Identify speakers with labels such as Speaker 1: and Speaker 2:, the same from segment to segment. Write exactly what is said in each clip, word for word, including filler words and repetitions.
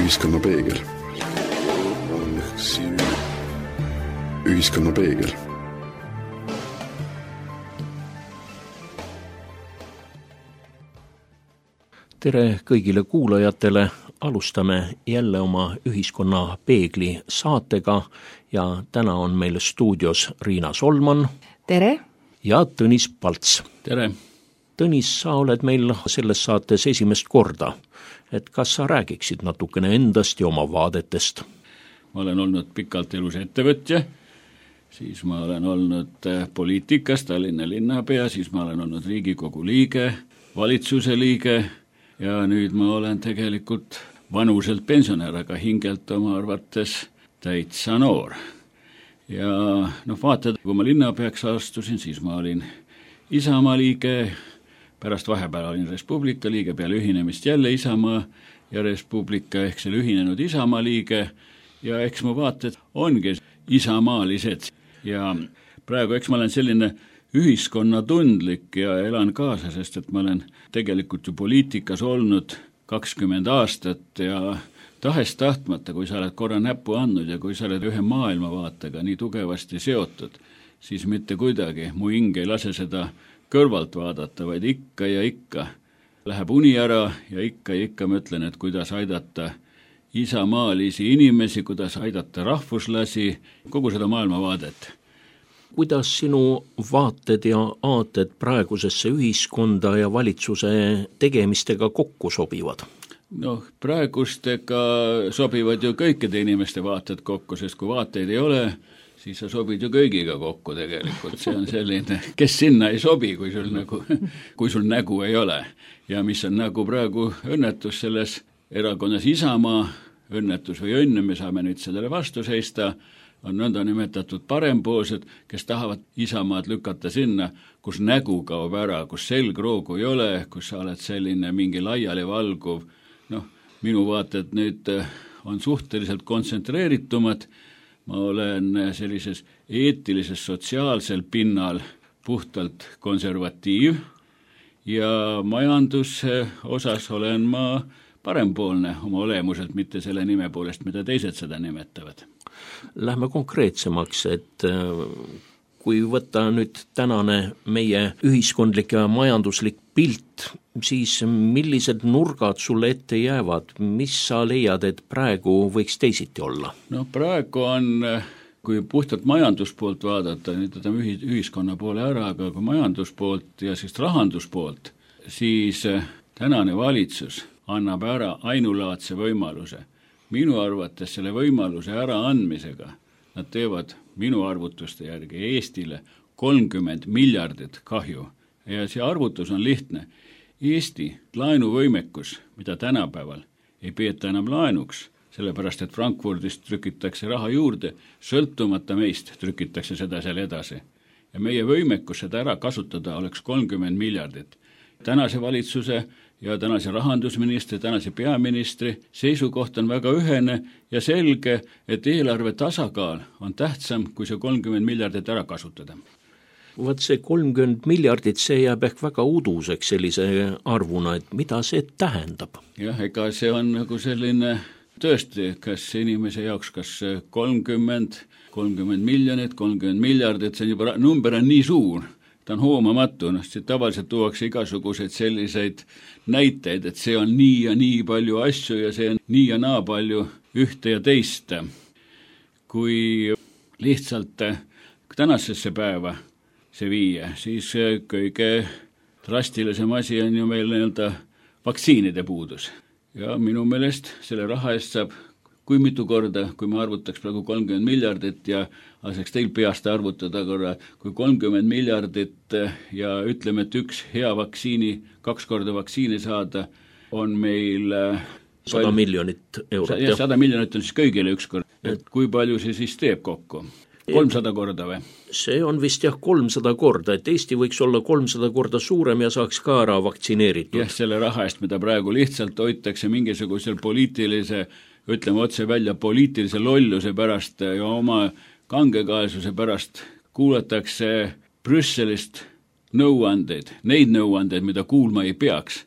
Speaker 1: Ühiskonna peegel. Ühiskonna peegel.
Speaker 2: Tere kõigile kuulajatele, alustame jälle oma Ühiskonna peegli saatega ja täna on meil stuudios Riina Solman.
Speaker 3: Tere!
Speaker 2: Ja Tõnis Palts.
Speaker 4: Tere!
Speaker 2: Tõnis, sa oled meil selles saates esimest korda, et kas sa räägiksid natukene endast ja oma vaadetest?
Speaker 4: Ma olen olnud pikalt elus ettevõtja, siis ma olen olnud poliitikas, Tallinna linnapea, siis ma olen olnud Riigikogu liige, valitsuse liige ja nüüd ma olen tegelikult vanuselt pensionär, aga hingelt oma arvates täitsa noor. Ja noh, vaatad, kui ma linnapeaks astusin, siis ma olin Isamaa liige, pärast vahepeal olin Res Publica liige, peale ühinemist jälle Isamaa ja Res Publica ehk selle ühinenud Isamaa liige ja eks mu vaated ongi isamaalised ja praegu eks ma olen selline ühiskonnatundlik ja elan kaasa, sest et ma olen tegelikult ju poliitikas olnud kakskümmend aastat ja tahest tahtmata, kui sa oled korra näppu andnud ja kui sa oled ühe maailmavaatega nii tugevasti seotud, siis mitte kuidagi mu hing ei lase seda kõrvalt vaadata, vaid ikka ja ikka läheb uni ära ja ikka ja ikka mõtlen, et kuidas aidata isamaalisi inimesi, kuidas aidata rahvuslasi, kogu seda maailmavaadet.
Speaker 2: Kuidas sinu vaated ja aated praegusesse ühiskonda ja valitsuse tegemistega kokku sobivad?
Speaker 4: Noh, praegustega sobivad ju kõikide inimeste vaated kokku, sest kui vaateid ei ole, siis sa sobid ju kõigiga kokku tegelikult. See on selline, kes sinna ei sobi, kui sul, nagu, kui sul nägu ei ole. Ja mis on nagu praegu õnnetus selles erakonnas Isamaa, õnnetus või õnne, me saame nüüd sellele vastu seista, on nõnda nimetatud parempoolsed, kes tahavad Isamaad lükata sinna, kus nägu kaob ära, kus selgroogu ei ole, kus sa oled selline mingi laiali valguv. Noh, minu vaated nüüd on suhteliselt kontsentreeritumad. Ma olen sellises eetilises sotsiaalsel pinnal puhtalt konservatiiv ja majanduse osas olen ma parempoolne oma olemuselt, mitte selle nime poolest, mida teised seda nimetavad.
Speaker 2: Lähme konkreetsemaks, et kui võtta nüüd tänane meie ühiskondlik ja majanduslik pilt, siis millised nurgad sulle ette jäävad, mis sa leiad, et praegu võiks teisiti olla?
Speaker 4: No praegu on, kui puhtalt majanduspoolt vaadata, nüüd võtame ühiskonna poole ära, aga kui majanduspoolt ja siis rahanduspoolt, siis tänane valitsus annab ära ainulaadse võimaluse. Minu arvates selle võimaluse ära andmisega nad teevad minu arvutuste järgi Eestile kolmkümmend miljardit kahju. Ja see arvutus on lihtne. Eesti laenuvõimekus, mida tänapäeval ei peeta enam laenuks, sellepärast et Frankfurdist trükitakse raha juurde, sõltumata meist trükitakse seda seal edasi. Ja meie võimekus seda ära kasutada oleks kolmkümmend miljardit. Tänase valitsuse ja tänase rahandusministri, tänase peaministri seisukoht on väga ühene ja selge, et eelarve tasakaal on tähtsam, kui see kolmkümmend miljardit ära kasutada.
Speaker 2: Vaat see kolmkümmend miljardit, see jääb ehk väga uduseks sellise arvuna, et mida see tähendab?
Speaker 4: Jah, ega see on nagu selline tõesti, kas inimese jaoks, kas kolmkümmend, kolmkümmend miljonit, kolmkümmend miljardit, see on juba, number on nii suur, ta on hoomamatu, noh, see tavaliselt tuuakse igasuguseid selliseid näiteid, et see on nii ja nii palju asju ja see on nii ja naa palju ühte ja teist. Kui lihtsalt tänasesse päeva see viia, siis kõige drastilisem asi on ju meil nii-öelda vaktsiinide puudus. Ja minu meelest selle raha eest saab kui mitu korda, kui me arvutaks praegu kolmkümmend miljardit ja aseks teil peast arvutada korra, kui kolmkümmend miljardit ja ütleme, et üks hea vaktsiini, kaks korda vaktsiini saada, on meil
Speaker 2: sada miljonit eurot.
Speaker 4: Ja sada miljonit on siis kõigile üks kord. Et kui palju see siis teeb kokku? kolmsada korda või?
Speaker 2: See on vist jah kolmsada korda, et Eesti võiks olla kolmsada korda suurem ja saaks ka ära vaktsineeritud.
Speaker 4: Jah, selle raha eest, mida praegu lihtsalt hoitakse mingisugusel poliitilise, ütleme otse välja, poliitilise lolluse pärast ja oma kangekaelsuse pärast kuulatakse Brüsselist nõuandeid, neid nõuandeid, mida kuulma ei peaks,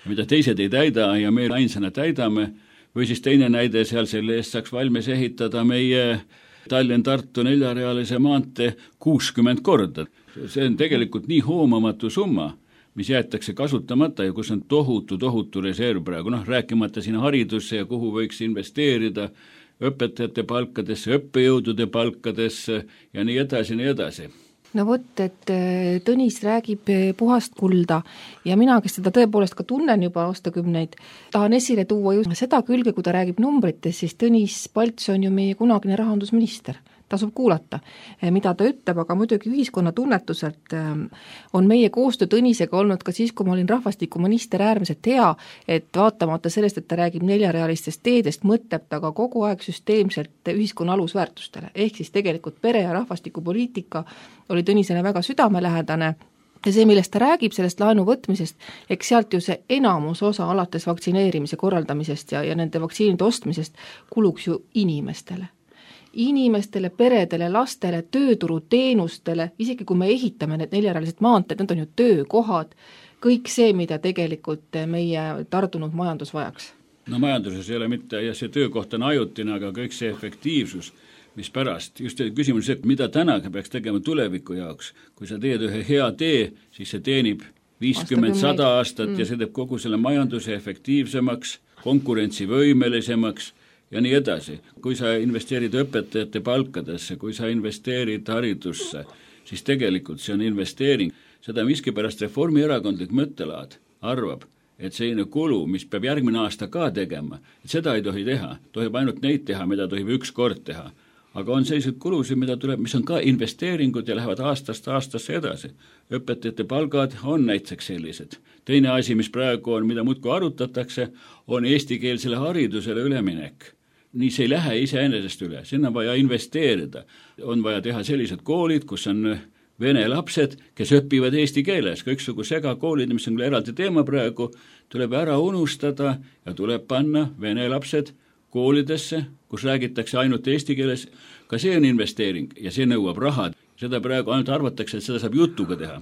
Speaker 4: mida teised ei täida ja me ainsana täidame, või siis teine näide, seal selle eest saaks valmis ehitada meie Tallinn-Tartu neljarealise maantee kuuskümmend korda. See on tegelikult nii hoomamatu summa, mis jäetakse kasutamata ja kus on tohutu, tohutu reserv praegu, noh, rääkimata siin haridusse ja kuhu võiks investeerida, õpetajate palkadesse, õppejõudude palkadesse ja nii edasi, nii edasi.
Speaker 1: No vot, et Tõnis räägib puhast kulda ja mina, kes teda tõepoolest ka tunnen juba aastakümneid, tahan esile tuua just seda külge, kui ta räägib numbrites, siis Tõnis Palts on ju meie kunagine rahandusminister. Tasub kuulata, mida ta ütleb, aga muidugi ühiskonna tunnetuselt on meie koostöö Tõnisega olnud ka siis, kui ma olin rahvastikuminister, äärmiselt hea, et vaatamata sellest, et ta räägib neljarealistest teedest, mõtleb ta ka kogu aeg süsteemselt ühiskonna alusväärtustele. Ehk siis tegelikult pere- ja rahvastikupoliitika oli Tõnisele väga südamelähedane ja see, millest ta räägib, sellest laenu võtmisest, eks sealt ju see enamus osa alates vaktsineerimise korraldamisest ja, ja nende vaktsiinide ostmisest kuluks ju inimestele. Inimestele, peredele, lastele, tööturuteenustele, isegi kui me ehitame need neljarealised maanteed, need on ju töökohad, kõik see, mida tegelikult meie tardunud majandus vajaks.
Speaker 4: No majanduses ei ole mitte, ja see töökoht on ajutine, aga kõik see efektiivsus, mis pärast, just küsimus see, mida täna peaks tegema tuleviku jaoks. Kui sa teed ühe hea tee, siis see teenib viiskümmend sada aastat mm. ja see teeb kogu selle majanduse efektiivsemaks, konkurentsivõimelisemaks ja nii edasi. Kui sa investeerid õpetajate palkadesse, kui sa investeerid haridusse, siis tegelikult see on investeering. Seda miskipärast reformierakondlik mõttelaad arvab, et selline kulu, mis peab järgmine aasta ka tegema, et seda ei tohi teha. Tohib ainult neid teha, mida tohib üks kord teha. Aga on sellised kulusid, mida tuleb, mis on ka investeeringud ja lähevad aastast aastasse edasi. Õpetajate palgad on näiteks sellised. Teine asi, mis praegu on, mida muudkui arutatakse, on eestikeelsele haridusele üleminek. Nii see ei lähe iseenesest üle, sinna on vaja investeerida. On vaja teha sellised koolid, kus on vene lapsed, kes õpivad eesti keeles. Kõiksugu segakoolid, mis on eraldi teema praegu, tuleb ära unustada ja tuleb panna vene lapsed koolidesse, kus räägitakse ainult eesti keeles. Ka see on investeering ja see nõuab raha. Seda praegu ainult arvatakse, et seda saab jutuga teha.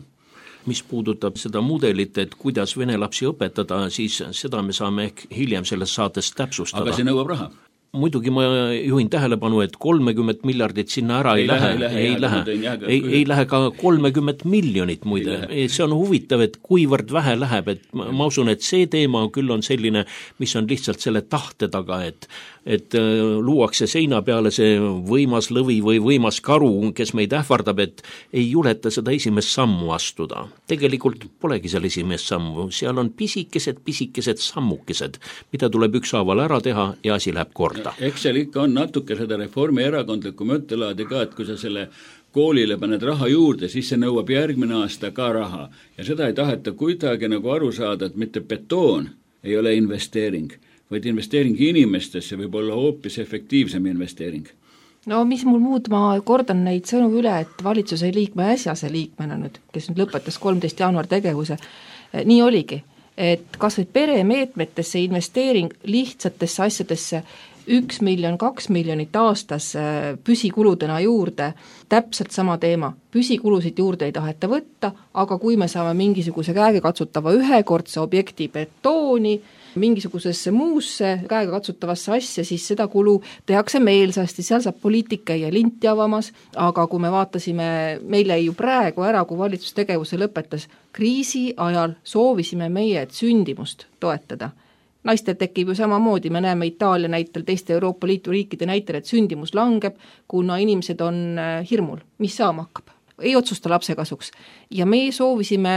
Speaker 2: Mis puudutab seda mudelit, et kuidas vene lapsi õpetada, siis seda me saame ehk hiljem selles saates täpsustada.
Speaker 4: Aga see nõuab raha.
Speaker 2: Muidugi ma juhin tähelepanu, et kolmekümmend miljardit sinna ära ei, ei lähe, lähe, ei, lähe, ei, lähe. Ei, ei lähe ka kolmekümmend miljonit muide. See on huvitav, et kuivõrd vähe läheb, et ma, ma usun, et see teema küll on selline, mis on lihtsalt selle tahte taga, et et luuakse seina peale see võimas lõvi või võimas karu, kes meid ähvardab, et ei juleta seda esimest sammu astuda. Tegelikult polegi seal esimest sammu, seal on pisikesed, pisikesed sammukesed, mida tuleb ükshaaval ära teha ja asi läheb korda.
Speaker 4: Eks seal ikka on natuke seda reformierakondlikku mõttelaadi ka, et kui sa selle koolile paned raha juurde, siis see nõuab järgmine aasta ka raha. Ja seda ei taheta kuidagi nagu aru saada, et mitte betoon ei ole investeering, vaid investeering inimestesse võib olla hoopis efektiivsem investeering.
Speaker 1: No mis mul muud, ma kordan neid sõnu üle, et valitsuse liikme äsjase liikmena nüüd, kes nüüd lõpetas kolmteist jaanuar tegevuse, nii oligi, et kas või peremeetmetesse investeering lihtsatesse asjadesse üks miljon, kaks miljonit aastas püsikuludena juurde, täpselt sama teema. Püsikulusid juurde ei taheta võtta, aga kui me saame mingisuguse käega katsutava ühekordse objekti betooni, mingisugusesse muusse käega katsutavasse asja, siis seda kulu tehakse meelsasti, seal saab poliitika ja linti avamas, aga kui me vaatasime, meile ju praegu ära, kui valitsustegevuse lõpetas, kriisi ajal soovisime meie, et sündimust toetada. Naistel tekib ju samamoodi, me näeme Itaalia näitel, teiste Euroopa Liidu riikide näitel, et sündimus langeb, kuna inimesed on hirmul, mis saama hakkab. Ei otsusta lapse kasuks. Ja me soovisime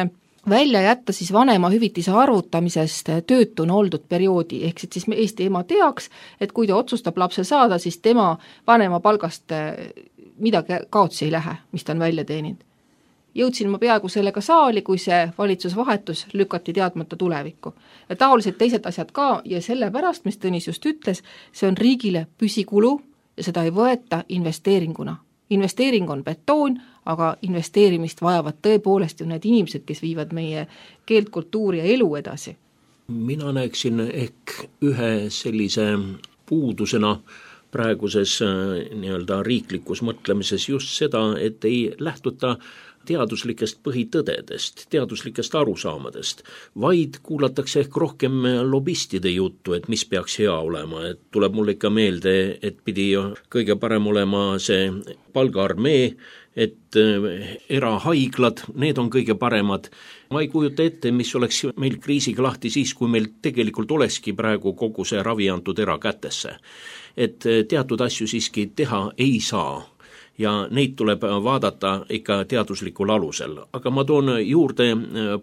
Speaker 1: välja jätta siis vanema hüvitise arvutamisest töötuna oldud perioodi, ehk siis Eesti ema teaks, et kui ta otsustab lapse saada, siis tema vanema palgast midagi kaotsi ei lähe, mis ta on välja teeninud. Jõudsin ma peaaegu sellega saali, kui see valitsusvahetus lükati teadmata tulevikku. Ja taolised teised asjad ka ja sellepärast, mis Tõnis just ütles, see on riigile püsikulu ja seda ei võeta investeeringuna. Investeering on betoon, aga investeerimist vajavad tõepoolest ju need inimesed, kes viivad meie keelt, kultuuri ja elu edasi.
Speaker 2: Mina näeksin ehk ühe sellise puudusena praeguses nii-öelda riiklikus mõtlemises just seda, et ei lähtuta teaduslikest põhitõdedest, teaduslikest arusaamadest, vaid kuulatakse ehk rohkem lobistide juttu, et mis peaks hea olema, et tuleb mulle ikka meelde, et pidi kõige parem olema see palgaarmee, et erahaiglad, need on kõige paremad. Ma ei kujuta ette, mis oleks meil kriisiga lahti siis, kui meil tegelikult olekski praegu kogu see ravi antud erakätesse. Et teatud asju siiski teha ei saa. Ja neid tuleb vaadata ikka teaduslikul alusel. Aga ma toon juurde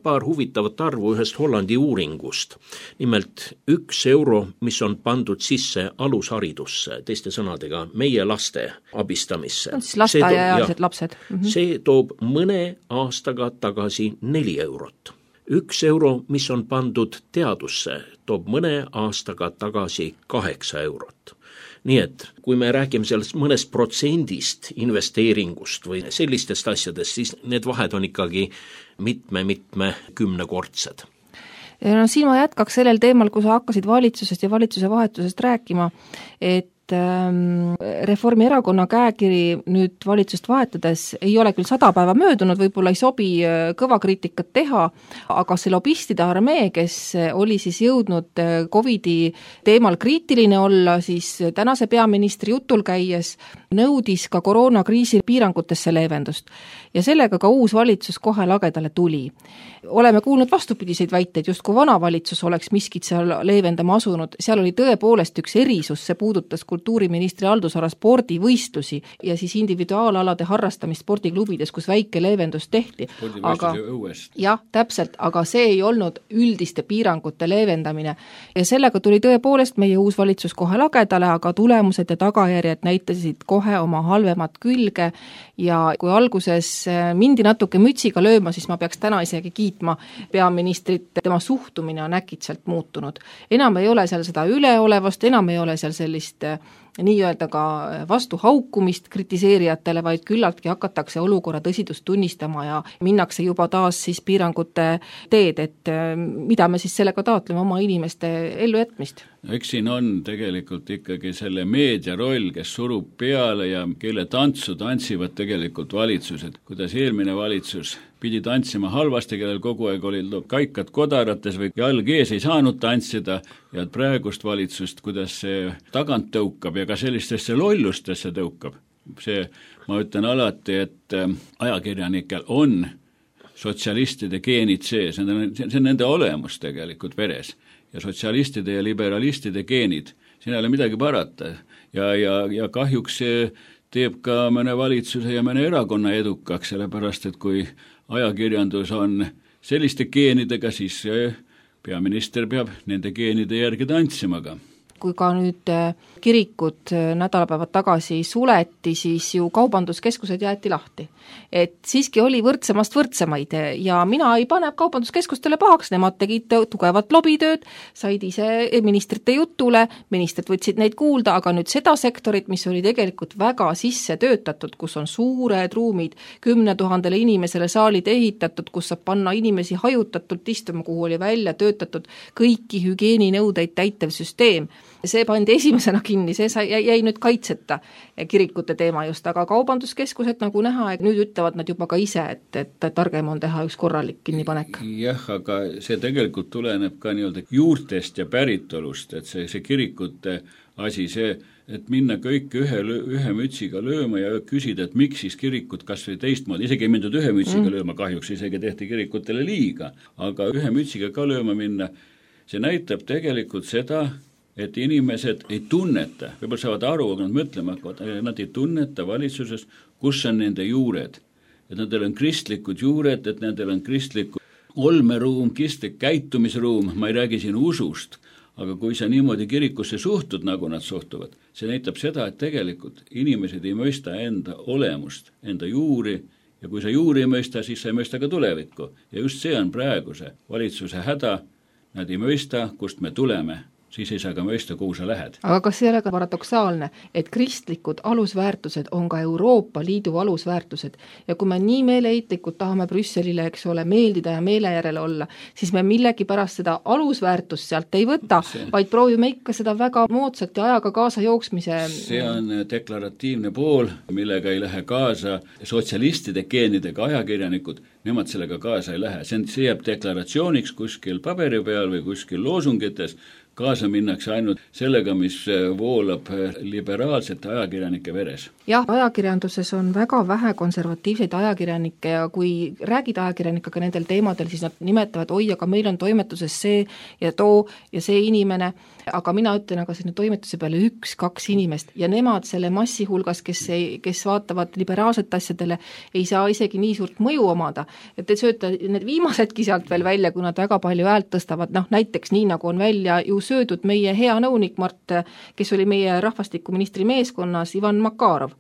Speaker 2: paar huvitavat arvu ühest Hollandi uuringust. Nimelt üks euro, mis on pandud sisse alusharidusse, teiste sõnadega meie laste abistamisse.
Speaker 1: On siis lasteaiaealised lapsed.
Speaker 2: Mm-hmm. See toob mõne aastaga tagasi neli eurot. Üks euro, mis on pandud teadusse, toob mõne aastaga tagasi kaheksa eurot. Nii et kui me räägime sellest mõnest protsendist investeeringust või sellistest asjadest, siis need vahed on ikkagi mitme-mitme kümnekordsed.
Speaker 1: No siin ma jätkaks sellel teemal, kui sa hakkasid valitsusest ja valitsuse vahetusest rääkima, et Reformierakonna käekiri nüüd valitsust vahetades ei ole küll sada päeva möödunud, võib-olla ei sobi kõva kriitikat teha, aga see lobistide armee, kes oli siis jõudnud Covidi teemal kriitiline olla, siis tänase peaministri jutul käies nõudis ka koroonakriisi piirangutesse leevendust. Ja sellega ka uus valitsus kohe lagedale tuli. Oleme kuulnud vastupidiseid väiteid, just kui vana valitsus oleks miskit seal leevendama asunud. Seal oli tõepoolest üks erisus, see puudutas kultuuriministri haldusala spordivõistlusi ja siis individuaalalade harrastamist spordiklubides, kus väike leevendus tehti. Aga, jah, täpselt, aga see ei olnud üldiste piirangute leevendamine. Ja sellega tuli tõepoolest meie uus valitsus kohe lagedale, aga tulemused ja tagajärjed näitasid kohe oma halvemat külge ja kui alguses mindi natuke mütsiga lööma, siis ma peaks täna isegi kiitma peaministrit, tema suhtumine on äkitselt muutunud. Enam ei ole seal seda üleolevast, enam ei ole seal sellist nii-öelda ka vastu haukumist kritiseerijatele, vaid küllaltki hakatakse olukorra tõsidust tunnistama ja minnakse juba taas siis piirangute teed, et mida me siis sellega taotleme oma inimeste ellujätmist.
Speaker 4: Eks siin on tegelikult ikkagi selle meedia roll, kes surub peale ja kelle tantsu tantsivad tegelikult valitsused. Kuidas eelmine valitsus pidi tantsima halvasti, kellel kogu aeg olid kaikad kodarates või jalg ees ei saanud tantsida ja praegust valitsust, kuidas see tagant tõukab ja ka sellistesse lollustesse tõukab. See, ma ütlen alati, et ajakirjanikel on sotsialistide geenid sees, see on nende olemus tegelikult veres. Ja sotsialistide ja liberalistide geenid, siin ei ole midagi parata. Ja, ja, ja kahjuks see teeb ka mõne valitsuse ja mõne erakonna edukaks, sellepärast, et kui ajakirjandus on selliste geenidega, siis peaminister peab nende geenide järgi tantsimaga.
Speaker 1: Kui ka nüüd kirikud nädalapäevad tagasi suleti, siis ju kaubanduskeskused jäeti lahti. Et siiski oli võrdsemast võrdsemaid ja mina ei pane kaubanduskeskustele pahaks, nemad tegid tugevat lobitööd, said ise ministrite jutule, ministrid võtsid neid kuulda, aga nüüd seda sektorit, mis oli tegelikult väga sisse töötatud, kus on suured ruumid, kümne tuhandele inimesele saalid ehitatud, kus saab panna inimesi hajutatult istuma, kuhu oli välja töötatud kõiki hügieeninõudeid täitev süsteem. See pandi esimesena kinni, see sai, jäi nüüd kaitseta kirikute teema just, aga kaubanduskeskused nagu näha, et nüüd ütlevad nad juba ka ise, et, et targem on teha üks korralik kinnipanek.
Speaker 4: Jah, aga see tegelikult tuleneb ka nii-öelda juurtest ja päritolust, et see, see kirikute asi, see, et minna kõik ühe, ühe mütsiga lööma ja küsida, et miks siis kirikud kas või teistmoodi, isegi ei mindud ühe mütsiga mm. lööma, kahjuks isegi tehti kirikutele liiga, aga ühe mütsiga ka lööma minna, see näitab tegelikult seda, et inimesed ei tunneta, võib-olla saavad aru, aga nad mõtlema, nad ei tunneta valitsuses, kus on nende juured. Et nendel on kristlikud juured, et nendel on kristlikud olmeruum, kristlik käitumisruum, ma ei räägi siin usust, aga kui sa niimoodi kirikusse suhtud, nagu nad suhtuvad, see näitab seda, et tegelikult inimesed ei mõista enda olemust, enda juuri, ja kui sa juuri ei mõista, siis sa ei mõista ka tulevikku. Ja just see on praeguse valitsuse häda, nad ei mõista, kust me tuleme. siis ei saa ka mõista, kuhu sa lähed.
Speaker 1: aga kas see ei ole ka paradoksaalne, et kristlikud alusväärtused on ka Euroopa Liidu alusväärtused ja kui me nii meeleheitlikult tahame Brüsselile, eks ole, meeldida ja meele järele olla, siis me millegi pärast seda alusväärtust sealt ei võta, see, vaid proovime ikka seda väga moodsat ja ajaga kaasa jooksmise.
Speaker 4: See on deklaratiivne pool, millega ei lähe kaasa sotsialistide geenidega ajakirjanikud, nemad sellega kaasa ei lähe, see jääb deklaratsiooniks kuskil paberi peal või kuskil loosungites, kaasa minnakse ainult sellega, mis voolab liberaalsete ajakirjanike veres.
Speaker 1: Jah, ajakirjanduses on väga vähe konservatiivseid ajakirjanikke ja kui räägid ajakirjanikega nendel teemadel, siis nad nimetavad, oi, aga meil on toimetuses see ja too ja see inimene, aga mina ütlen, aga sinna toimetuse peale üks, kaks inimest ja nemad selle massi hulgas, kes, ei, kes vaatavad liberaalset asjadele, ei saa isegi nii suurt mõju omada, et te sööte need viimasedki sealt veel välja, kui nad väga palju häält tõstavad, noh näiteks nii nagu on välja ju söödud meie hea nõunik Mart, kes oli meie rahvastikuministri meeskonnas, Ivan Makarov.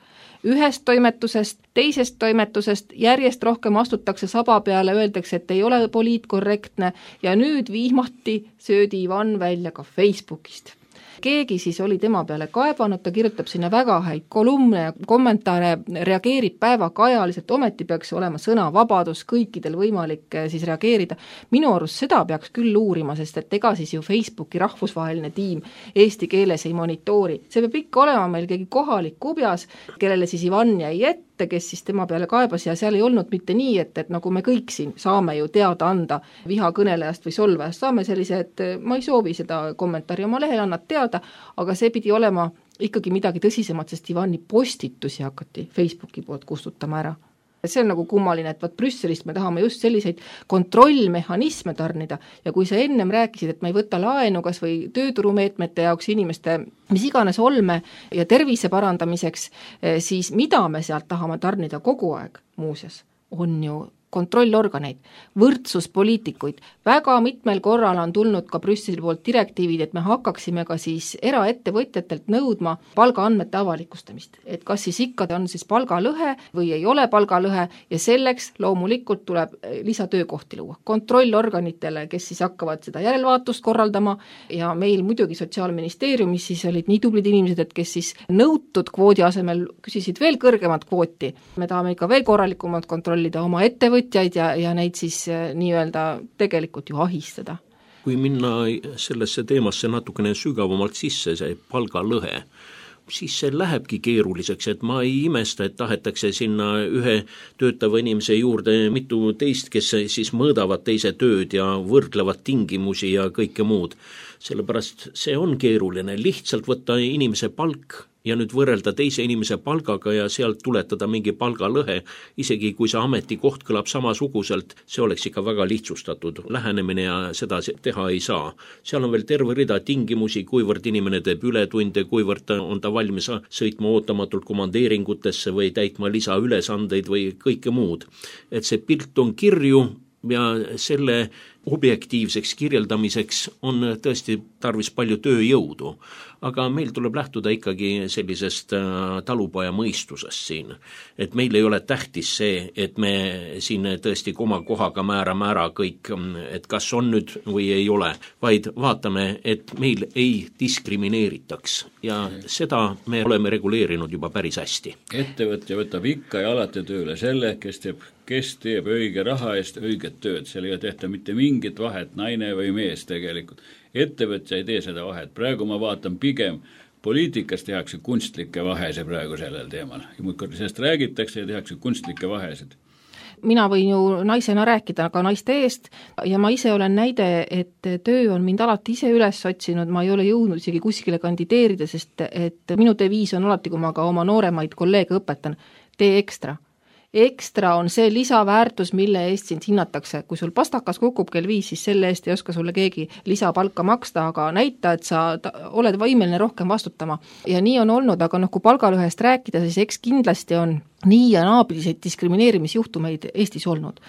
Speaker 1: Ühest toimetusest, teisest toimetusest järjest rohkem astutakse saba peale, öeldakse, et ei ole poliitkorrektne ja nüüd viimati söödi Ivan välja ka Facebookist. Keegi siis oli tema peale kaebanud, ta kirjutab sinna väga häid kolumne ja kommentaare, reageerib päevaga ajaliselt, ometi peaks olema sõnavabadus, kõikidel võimalik siis reageerida. Minu arust seda peaks küll uurima, sest et ega siis ju Facebooki rahvusvaheline tiim eesti keeles ei monitoori. See peab ikka olema meil keegi kohalik kubjas, kellele siis Ivan jäi ette, kes siis tema peale kaebas ja seal ei olnud mitte nii, et, et nagu me kõik siin saame ju teada anda vihakõnelejast või solvajast, saame sellise, et ma ei soovi seda kommentaari oma lehel, annad teada, aga see pidi olema ikkagi midagi tõsisemat, sest Ivani postitusi hakati Facebooki poolt kustutama ära. See on nagu kummaline, et vaat Brüsselist me tahame just selliseid kontrollmehhanisme tarnida ja kui sa ennem rääkisid, et me ei võta laenu kas või tööturumeetmete jaoks inimeste mis iganes olme ja tervise parandamiseks, siis mida me sealt tahame tarnida kogu aeg muuseas, on ju kontrollorganeid, võrdsuspoliitikuid. Väga mitmel korral on tulnud ka Brüsseli poolt direktiivid, et me hakkaksime ka siis eraettevõtjatelt nõudma palgaandmete avalikustamist. Et kas siis ikka on siis palgalõhe või ei ole palgalõhe ja selleks loomulikult tuleb lisatöökohti luua. Kontrollorganitele, kes siis hakkavad seda järelvaatust korraldama ja meil muidugi Sotsiaalministeeriumis siis olid nii tublid inimesed, et kes siis nõutud kvoodi asemel küsisid veel kõrgemat kvooti. Me tahame ikka veel korralikumalt kontrollida oma ettevõtjaid ja, ja neid siis nii-öelda tegelikult ju ahistada.
Speaker 2: Kui minna sellesse teemasse natukene sügavamalt sisse, see palgalõhe, siis see lähebki keeruliseks, et ma ei imesta, et tahetakse sinna ühe töötava inimese juurde mitu teist, kes siis mõõdavad teise tööd ja võrdlevad tingimusi ja kõike muud. Sellepärast see on keeruline, lihtsalt võtta inimese palk ja nüüd võrrelda teise inimese palgaga ja sealt tuletada mingi palgalõhe, isegi kui see ametikoht kõlab samasuguselt, see oleks ikka väga lihtsustatud lähenemine ja seda teha ei saa. Seal on veel terve rida tingimusi, kuivõrd inimene teeb ületunde, kuivõrd on ta valmis sõitma ootamatult komandeeringutesse või täitma lisaülesandeid või kõike muud. Et see pilt on kirju ja selle objektiivseks kirjeldamiseks on tõesti tarvis palju tööjõudu, aga meil tuleb lähtuda ikkagi sellisest talupoja mõistusest siin, et meil ei ole tähtis see, et me siin tõesti oma kohaga määrame ära kõik, et kas on nüüd või ei ole, vaid vaatame, et meil ei diskrimineeritaks ja seda me oleme reguleerinud juba päris hästi.
Speaker 4: Ettevõtja võtab ikka ja alati tööle selle, kes teeb, kes teeb õige raha eest õiget tööd, seal ei tehta mitte mingit vahet, naine või mees tegelikult. Ettevõtja ei tee seda vahet, praegu ma vaatan pigem, poliitikas tehakse kunstlikke vahese praegu sellel teemal. Sest räägitakse ja tehakse kunstlikke vahesid.
Speaker 1: Mina võin ju naisena rääkida ka naiste eest ja ma ise olen näide, et töö on mind alati ise üles otsinud, ma ei ole jõudnud isegi kuskile kandideerida, sest et minu deviis on alati, kui ma ka oma nooremaid kolleege õpetan, tee ekstra. Ekstra on see lisaväärtus, mille eest sind hinnatakse. Kui sul pastakas kukub kell viis, siis selle eest ei oska sulle keegi lisapalka maksta, aga näita, et sa oled võimeline rohkem vastutama. Ja nii on olnud, aga noh, kui palgalõhest rääkida, siis eks kindlasti on nii ja naabiliseid diskrimineerimisjuhtumeid Eestis olnud.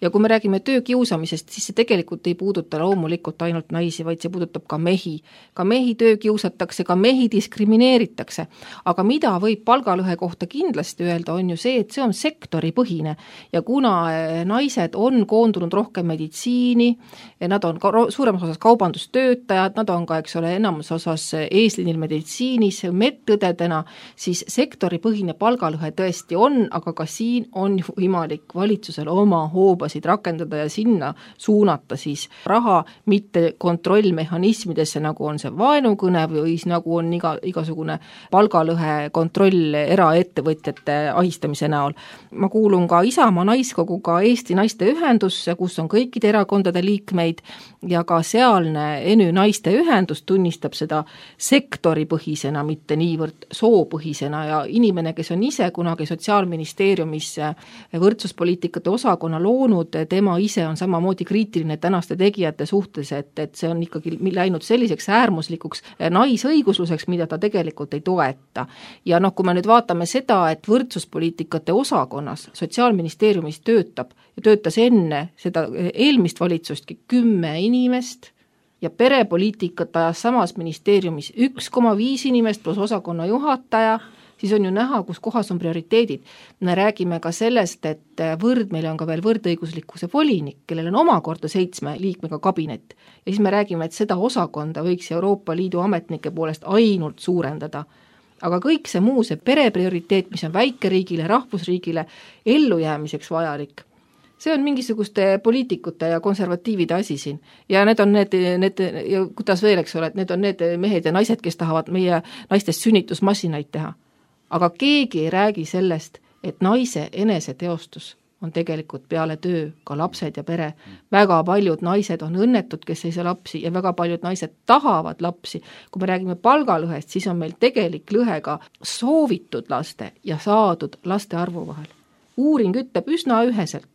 Speaker 1: Ja kui me räägime töökiusamisest, siis see tegelikult ei puuduta loomulikult ainult naisi, vaid see puudutab ka mehi. Ka mehi töökiusatakse, ka mehi diskrimineeritakse. Aga mida võib palgalõhe kohta kindlasti öelda, on ju see, et see on sektoripõhine. Ja kuna naised on koondunud rohkem meditsiini, nad on ka suuremas osas kaubandustöötajad, nad on ka, eks ole, enamus osas eesliinil meditsiinis, medõdedena, siis sektoripõhine palgalõhe tõesti on, aga ka siin on võimalik valitsusel oma hoobasid rakendada ja sinna suunata siis raha, mitte kontrollmehhanismidesse, nagu on see vaenukõne või nagu on iga, igasugune palgalõhe kontroll eraettevõtjate ahistamise näol. Ma kuulun ka Isamaa naiskoguga Eesti naiste ühendusse, kus on kõikide erakondade liikmeid ja ka sealne Enü naiste ühendus tunnistab seda sektoripõhisena, mitte niivõrd soopõhisena ja inimene, kes on ise kunagi Sotsiaalministeeriumis võrdsuspoliitikate osakonna loonud, tema ise on samamoodi kriitiline tänaste tegijate suhtes, et, et see on ikkagi läinud selliseks äärmuslikuks naisõigusluseks, mida ta tegelikult ei toeta. Ja noh, kui me nüüd vaatame seda, et võrdsuspoliitikate osakonnas Sotsiaalministeeriumis töötab ja töötas enne seda eelmist valitsustki kümme inimest ja perepoliitikat ajas samas ministeeriumis üks koma viis inimest plus osakonna juhataja, siis on ju näha, kus kohas on prioriteedid. Me räägime ka sellest, et võrd, meil on ka veel võrdõiguslikkuse volinik, kellel on omakorda seitsme liikmega kabinet. Ja siis me räägime, et seda osakonda võiks Euroopa Liidu ametnike poolest ainult suurendada. Aga kõik see muu, see pereprioriteet, mis on väikeriigile, rahvusriigile ellujäämiseks vajalik, see on mingisuguste poliitikute ja konservatiivide asi siin. Ja need on need, need ja kuidas veel, eks ole, et need on need mehed ja naised, kes tahavad meie naistest sünnitusmassinaid teha. Aga keegi ei räägi sellest, et naise eneseteostus on tegelikult peale töö ka lapsed ja pere. Väga paljud naised on õnnetud, kes ei saa lapsi ja väga paljud naised tahavad lapsi. Kui me räägime palgalõhest, siis on meil tegelik lõhe ka soovitud laste ja saadud laste arvu vahel. Uuring ütleb üsna üheselt.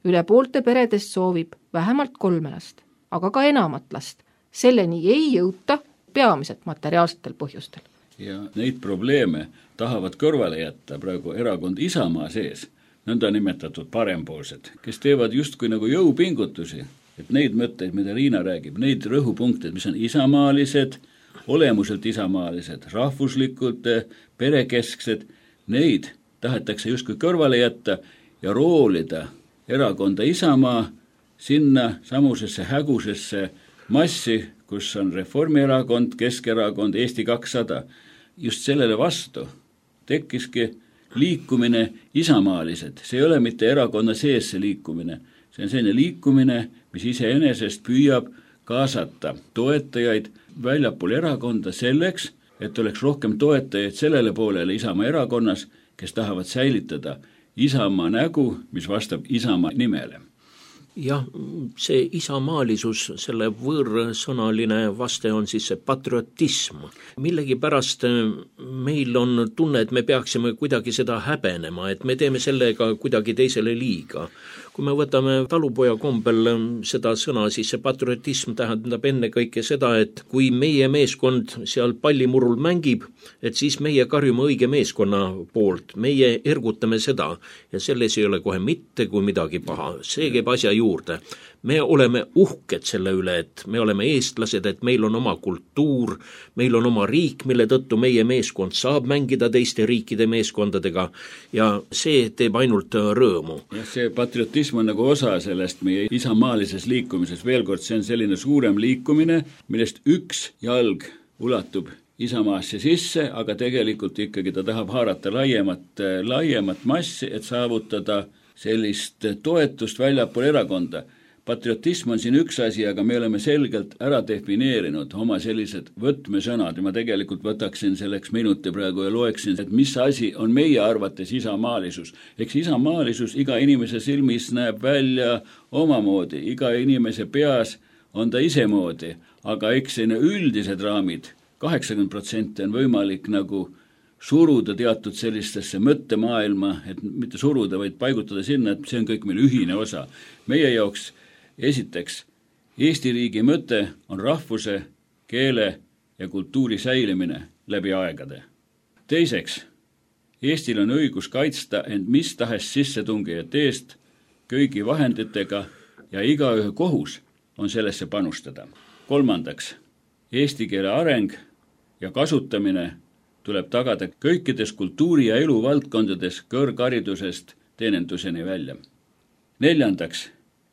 Speaker 1: Üle poolte peredest soovib vähemalt kolme last, aga ka enamat last. Selleni ei jõuta peamiselt materiaalsetel põhjustel.
Speaker 4: Ja neid probleeme tahavad kõrvale jätta praegu erakond Isamaa sees, nõnda nimetatud parempoolsed, kes teevad justkui nagu jõupingutusi, et neid mõtteid, mida Riina räägib, neid rõhupunkteid, mis on isamaalised, olemuselt isamaalised, rahvuslikult, perekesksed, neid tahetakse justkui kõrvale jätta ja roolida erakonda Isamaa sinna samusesse hägusesse massi, kus on Reformierakond, Keskerakond, Eesti kakssada. Just sellele vastu tekkiski liikumine isamaalised. See ei ole mitte erakonna sees see liikumine. See on selline liikumine, mis iseenesest püüab kaasata toetajaid väljapool erakonda selleks, et oleks rohkem toetajaid sellele poolele Isamaa erakonnas, kes tahavad säilitada Isamaa nägu, mis vastab Isamaa nimele.
Speaker 2: Jah, see isamaalisus, selle võõrsõnaline vaste on siis see patriotism. Millegi pärast meil on tunne, et me peaksime kuidagi seda häbenema, et me teeme sellega kuidagi teisele liiga. Kui me võtame talupoja kombel seda sõna, siis see patriotism tähendab enne kõike seda, et kui meie meeskond seal pallimurul mängib, et siis meie karjume õige meeskonna poolt, meie ergutame seda ja selles ei ole kohe mitte kui midagi paha. See käib asja juurde. Me oleme uhked selle üle, et me oleme eestlased, et meil on oma kultuur, meil on oma riik, mille tõttu meie meeskond saab mängida teiste riikide meeskondadega ja see teeb ainult rõõmu.
Speaker 4: Ja see patriotism on nagu osa sellest meie isamaalises liikumises. Veel kord, see on selline suurem liikumine, millest üks jalg ulatub Isamaasse sisse, aga tegelikult ikkagi ta tahab haarata laiemat, laiemat massi, et saavutada sellist toetust väljapool erakonda. Patriotism on siin üks asi, aga me oleme selgelt ära defineerinud oma sellised võtmesõnad ja ma tegelikult võtaksin selleks minuti praegu ja loeksin, et mis asi on meie arvates isamaalisus. Eks isamaalisus iga inimese silmis näeb välja omamoodi, iga inimese peas on ta isemoodi, aga eks selline üldised raamid, kaheksakümmend protsenti on võimalik nagu suruda teatud sellistesse mõttemaailma, et mitte suruda, vaid paigutada sinna, et see on kõik meil ühine osa. Meie jaoks esiteks, Eesti riigi mõte on rahvuse, keele ja kultuuri säilimine läbi aegade. Teiseks, Eestil on õigus kaitsta end mis tahes sissetungijate eest kõigi vahenditega ja igaühe kohus on sellesse panustada. Kolmandaks, eesti keele areng ja kasutamine tuleb tagada kõikides kultuuri- ja eluvaldkondades kõrgharidusest teeninduseni välja. Neljandaks,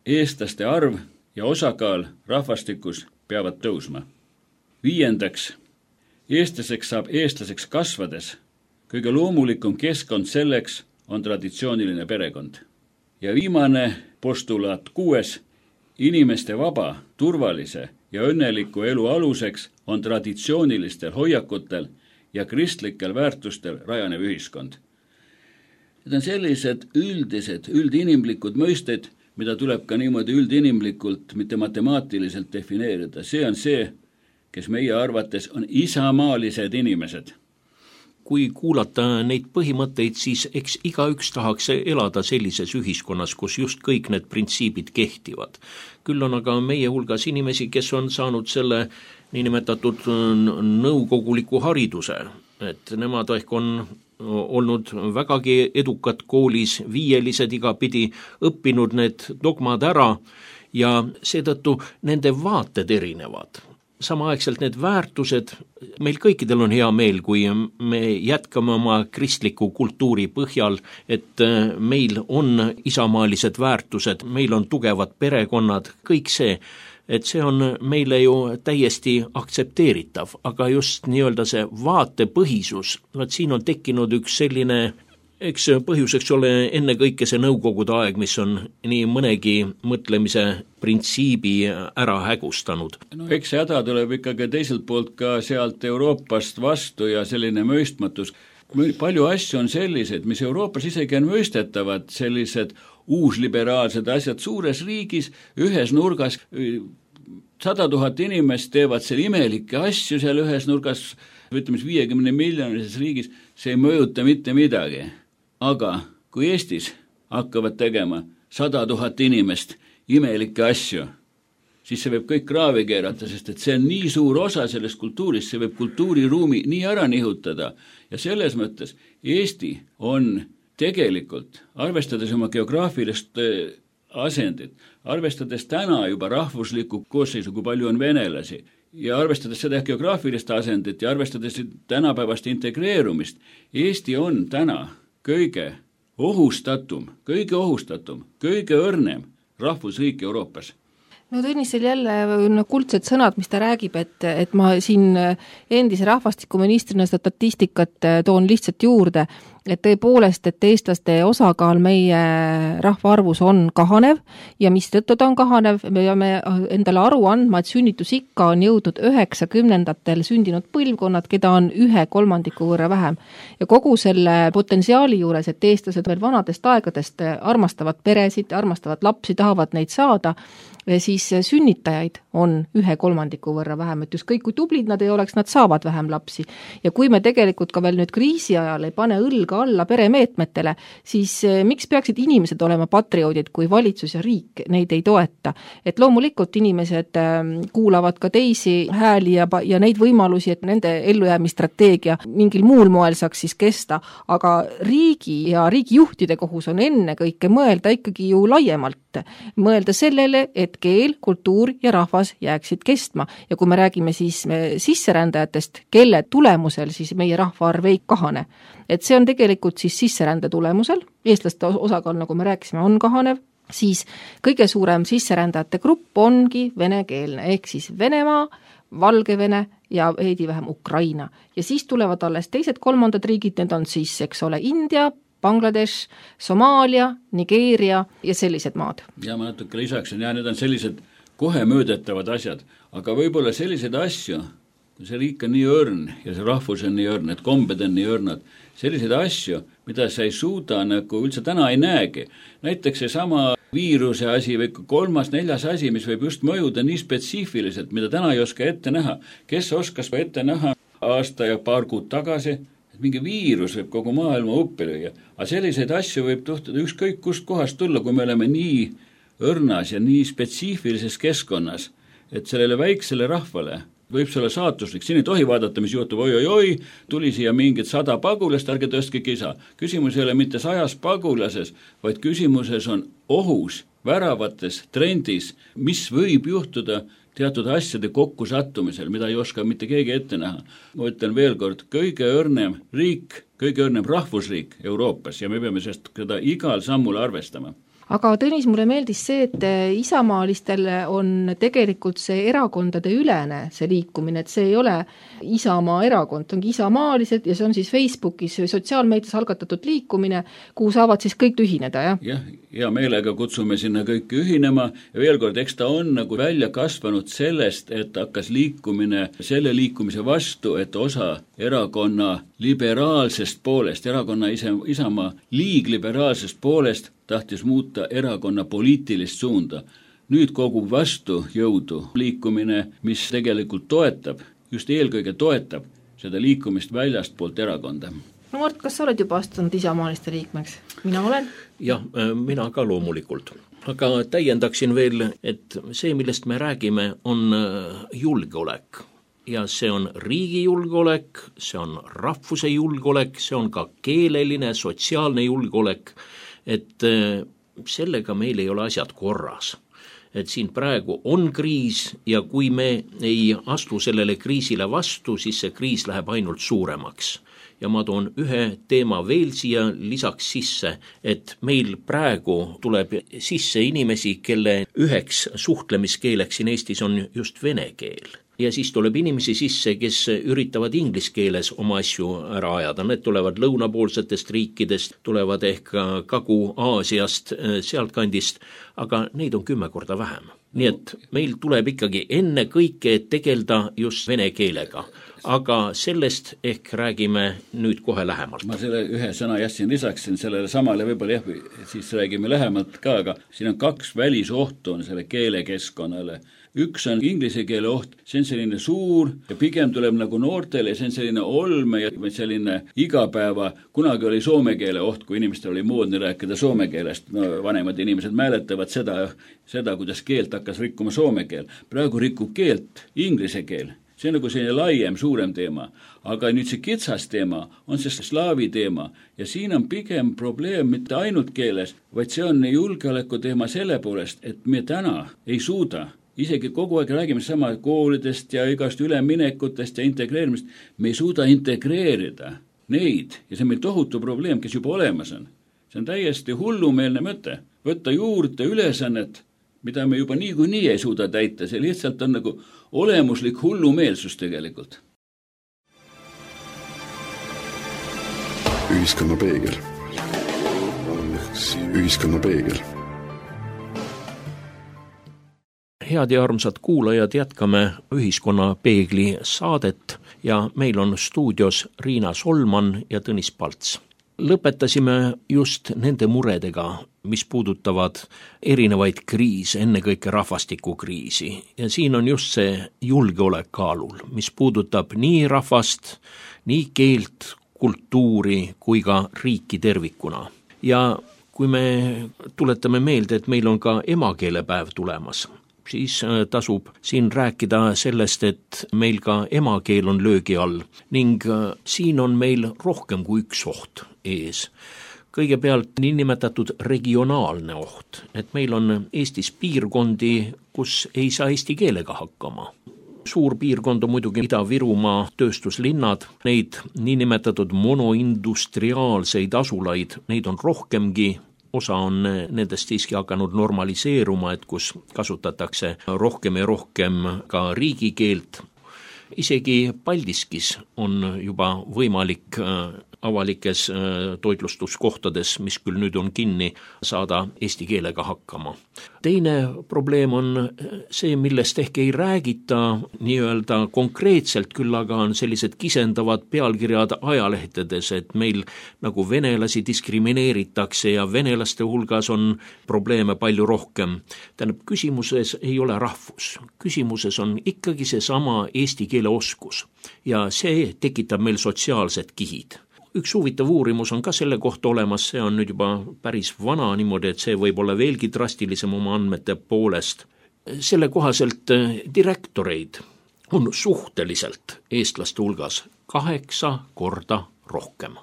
Speaker 4: eestlaste arv ja osakaal rahvastikus peavad tõusma. Viiendaks, eestlaseks saab eestlaseks kasvades. Kõige loomulikum keskkond selleks on traditsiooniline perekond. Ja viimane postulaat kuues, inimeste vaba, turvalise ja õnneliku elu aluseks on traditsioonilistel hoiakutel ja kristlikel väärtustel rajanev ühiskond. Need on sellised üldised, üldinimlikud mõisted, mida tuleb ka niimoodi üldinimlikult, mitte matemaatiliselt defineerida. See on see, kes meie arvates on isamaalised inimesed.
Speaker 2: Kui kuulata neid põhimõtteid, siis eks igaüks tahaks elada sellises ühiskonnas, kus just kõik need printsiibid kehtivad. Küll on aga meie hulgas inimesi, kes on saanud selle niinimetatud nõukoguliku hariduse, et nemad ehk on olnud vägagi edukad koolis, viielised igapidi, õppinud need dogmad ära ja seetõttu nende vaated erinevad. Samaaegselt need väärtused, meil kõikidel on hea meel, kui me jätkame oma kristliku kultuuri põhjal, et meil on isamaalised väärtused, meil on tugevad perekonnad, kõik see, et see on meile ju täiesti aktsepteeritav, aga just nii-öelda see vaatepõhisus, vaat siin on tekkinud üks selline, eks põhjuseks ole enne kõike see nõukogude aeg, mis on nii mõnegi mõtlemise printsiibi ära hägustanud.
Speaker 4: No eks see häda tuleb ikkagi teiselt poolt ka sealt Euroopast vastu ja selline mõistmatus. Palju asju on sellised, mis Euroopas isegi on mõistetavad, sellised uusliberaalsed asjad suures riigis, ühes nurgas sada tuhat inimest teevad seal imelikke asju seal ühes nurgas, ütleme viiekümne miljonises riigis, see ei mõjuta mitte midagi. Aga kui Eestis hakkavad tegema sada tuhat inimest imelikke asju, siis see võib kõik kraavi keerata, sest et see on nii suur osa sellest kultuurist, see võib kultuuriruumi nii ära nihutada. Ja selles mõttes Eesti on tegelikult, arvestades oma geograafilist asendit, arvestades täna juba rahvuslikku koosseisu, kui palju on venelasi, ja arvestades seda geograafilist asendit ja arvestades tänapäevast integreerumist, Eesti on täna kõige ohustatum, kõige ohustatum, kõige õrnem rahvusriik Euroopas.
Speaker 1: No Tõnisel jälle no, kuldsed sõnad, mis ta räägib, et, et ma siin endise rahvastikuministrina statistikat toon lihtsalt juurde, et tõepoolest, et eestlaste osakaal meie rahvaarvus on kahanev ja mis tõttu ta on kahanev, me peame endale aru andma, et sünnitusikka on jõudnud üheksakümnendatel sündinud põlvkonnad, keda on ühe kolmandiku võrra vähem. Ja kogu selle potentsiaali juures, et eestlased veel vanadest aegadest armastavad peresid, armastavad lapsi, tahavad neid saada, siis sünnitajaid on ühe kolmandiku võrra vähem, et just kõik, kui tublid nad ei oleks, nad saavad vähem lapsi. Ja kui me tegelikult ka veel nüüd kriisi ajal ei pane õlga alla peremeetmetele, siis miks peaksid inimesed olema patrioodid, kui valitsus ja riik neid ei toeta? Et loomulikult inimesed kuulavad ka teisi hääli ja, ja neid võimalusi, et nende ellujäämistrateegia mingil muul moel saaks siis kesta, aga riigi ja riigijuhtide kohus on enne kõike mõelda ikkagi ju laiemalt. Mõelda sellele, et keel, kultuur ja rahvas jääksid kestma. Ja kui me räägime siis sisserändajatest, kelle tulemusel siis meie rahvaarv ei kahane. Et see on tegelikult siis sisserände tulemusel, eestlaste osakaal, nagu me rääkisime, on kahanev, siis kõige suurem sisserändajate grupp ongi venekeelne, ehk siis Venemaa, Valgevene ja veidi vähem Ukraina. Ja siis tulevad alles teised kolmandad riigid, need on siis, eks ole, India, Bangladesh, Somaalia, Nigeeria ja sellised maad.
Speaker 4: Ja ma natuke lisaksin, ja need on sellised kohe möödetavad asjad, aga võib-olla sellised asju, kui see riik on nii õrn ja see rahvus on nii õrn, et kombed on nii õrnad, sellised asju, mida sa ei suuda nagu üldse täna ei näegi. Näiteks see sama viiruse asi või kolmas, neljas asi, mis võib just mõjuda nii spetsiifiliselt, mida täna ei oska ette näha. Kes oskas ette näha aasta ja paar kuud tagasi, mingi viirus võib kogu maailma uppi lüüa, aga selliseid asju võib tuhtuda ükskõik kust kohast tulla, kui me oleme nii õrnas ja nii spetsiifilises keskkonnas, et sellele väiksele rahvale võib see olla saatuslik, siin ei tohi vaadata, mis juhtub, oi-oi-oi, tuli siia mingid sada pagulast, ärge tõstke kisa. Küsimus ei ole mitte sajas pagulases, vaid küsimuses on ohus, väravates, trendis, mis võib juhtuda teatud asjade kokkusattumisel, mida ei oska mitte keegi ette näha. Ma ütlen veel kord, kõige õrnem riik, kõige õrnem rahvusriik Euroopas ja me peame sellest seda igal sammul arvestama.
Speaker 1: Aga Tõnis, mulle meeldis see, et isamaalistel on tegelikult see erakondade ülene see liikumine, et see ei ole Isamaa erakond, ongi isamaalised ja see on siis Facebookis või sotsiaalmeedias algatatud liikumine, kuhu saavad siis kõik ühineda, jah?
Speaker 4: Jah, hea meelega kutsume sinna kõik ühinema ja veel kord, eks ta on nagu välja kasvanud sellest, et hakkas liikumine selle liikumise vastu, et osa erakonna liberaalsest poolest, erakonna ise, Isamaa liigliberaalsest poolest tahtis muuta erakonna poliitilist suunda. Nüüd kogub vastu jõudu liikumine, mis tegelikult toetab, just eelkõige toetab seda liikumist väljast poolt erakonda.
Speaker 1: No Mart, kas sa oled juba astunud isamaaliste liikmeks? Mina olen.
Speaker 2: Jah, mina ka loomulikult. Aga täiendaksin veel, et see, millest me räägime, on julgeolek. Ja see on riigi julgeolek, see on rahvuse julgeolek, see on ka keeleline, sotsiaalne julgeolek, et sellega meil ei ole asjad korras. Et siin praegu on kriis ja kui me ei astu sellele kriisile vastu, siis see kriis läheb ainult suuremaks. Ja ma toon ühe teema veel siia lisaks sisse, et meil praegu tuleb sisse inimesi, kelle üheks suhtlemiskeeleks siin Eestis on just vene keel. Ja siis tuleb inimesi sisse, kes üritavad inglise keeles oma asju ära ajada. Need tulevad lõunapoolsetest riikidest, tulevad ehk Kagu-Aasiast, sealt kandist, aga neid on kümme korda vähem. Nii et meil tuleb ikkagi enne kõike tegelda just vene keelega. Aga sellest ehk räägime nüüd kohe lähemalt.
Speaker 4: Ma selle ühe sõna jätsin lisaksin sellele samale, võib-olla jah, siis räägime lähemalt ka, aga siin on kaks välisohtu on selle keelekeskkonnale. Üks on inglise keele oht, see on selline suur ja pigem tuleb nagu noortele, see on selline olme ja selline igapäeva, kunagi oli soome keele oht, kui inimestel oli moodne rääkida soome keelest, no vanemad inimesed mäletavad seda, seda, kuidas keelt hakkas rikkuma soome keel. Praegu rikub keelt inglise keel, see on nagu selline laiem, suurem teema, aga nüüd see kitsas teema on see slaavi teema ja siin on pigem probleem mitte ainult keeles, vaid see on julgeoleku teema selle poolest, et me täna ei suuda isegi kogu aeg räägime sama koolidest ja igast üleminekutest ja integreerimist, me ei suuda integreerida neid ja see on meil tohutu probleem, kes juba olemas on. See on täiesti hullumeelne mõte, võtta juurde ülesannet, mida me juba nii kui nii ei suuda täita, see lihtsalt on nagu olemuslik hullumeelsus tegelikult.
Speaker 3: Ühiskonna peegel. Ühiskonna peegel.
Speaker 2: Head ja armsad kuulajad, jätkame Ühiskonna peegli saadet ja meil on stuudios Riina Solman ja Tõnis Palts. Lõpetasime just nende muredega, mis puudutavad erinevaid kriise, ennekõike rahvastikukriisi. Ja siin on just see julgeolek kaalul, mis puudutab nii rahvast, nii keelt, kultuuri kui ka riiki tervikuna. Ja kui me tuletame meelde, et meil on ka emakeelepäev tulemas, siis tasub siin rääkida sellest, et meil ka emakeel on löögi all ning siin on meil rohkem kui üks oht ees. Kõigepealt niinimetatud regionaalne oht, et meil on Eestis piirkondi, kus ei saa eesti keelega hakkama. Suur piirkond on muidugi Ida-Virumaa tööstuslinnad, neid niinimetatud monoindustriaalseid asulaid, neid on rohkemgi. Osa on nendest siiski hakanud normaliseeruma, et kus kasutatakse rohkem ja rohkem ka riigikeelt. Isegi Paldiskis on juba võimalik avalikes toitlustuskohtades, mis küll nüüd on kinni, saada eesti keelega hakkama. Teine probleem on see, millest ehk ei räägita nii-öelda konkreetselt, küll aga on sellised kisendavad pealkirjad ajalehtedes, et meil nagu venelasi diskrimineeritakse ja venelaste hulgas on probleeme palju rohkem. Tähendab, küsimuses ei ole rahvus. Küsimuses on ikkagi seesama eesti keele oskus ja see tekitab meil sotsiaalsed kihid. Üks huvitav uurimus on ka selle kohta olemas, see on nüüd juba päris vana niimoodi, et see võib olla veelgi drastilisem oma andmete poolest. Selle kohaselt direktoreid on suhteliselt eestlaste hulgas kaheksa korda rohkem.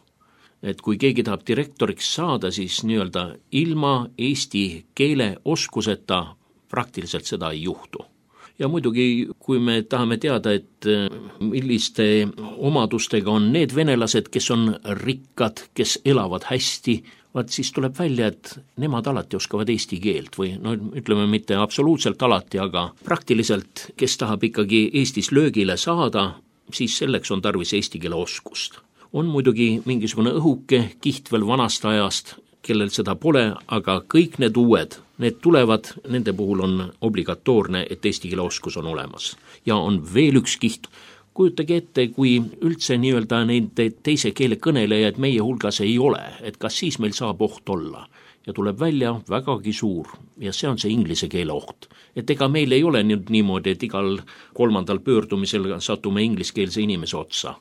Speaker 2: Et kui keegi tahab direktoriks saada, siis nii-öelda ilma eesti keele oskuseta praktiliselt seda ei juhtu. Ja muidugi, kui me tahame teada, et milliste omadustega on need venelased, kes on rikkad, kes elavad hästi, vaat siis tuleb välja, et nemad alati oskavad eesti keelt või no ütleme mitte absoluutselt alati, aga praktiliselt, kes tahab ikkagi Eestis löögile saada, siis selleks on tarvis eesti keele oskust. On muidugi mingisugune õhuke kiht veel vanast ajast, kellel seda pole, aga kõik need uued, need tulevad, nende puhul on obligatoorne, et eesti keele oskus on olemas. Ja on veel üks kiht. Kujutage ette, kui üldse nii-öelda neid teise keele kõnelejaid meie hulgas ei ole, et kas siis meil saab oht olla. Ja tuleb välja vägagi suur ja see on see inglise keele oht. Et ega meil ei ole nüüd niimoodi, et igal kolmandal pöördumisel satume ingliskeelse inimese otsa.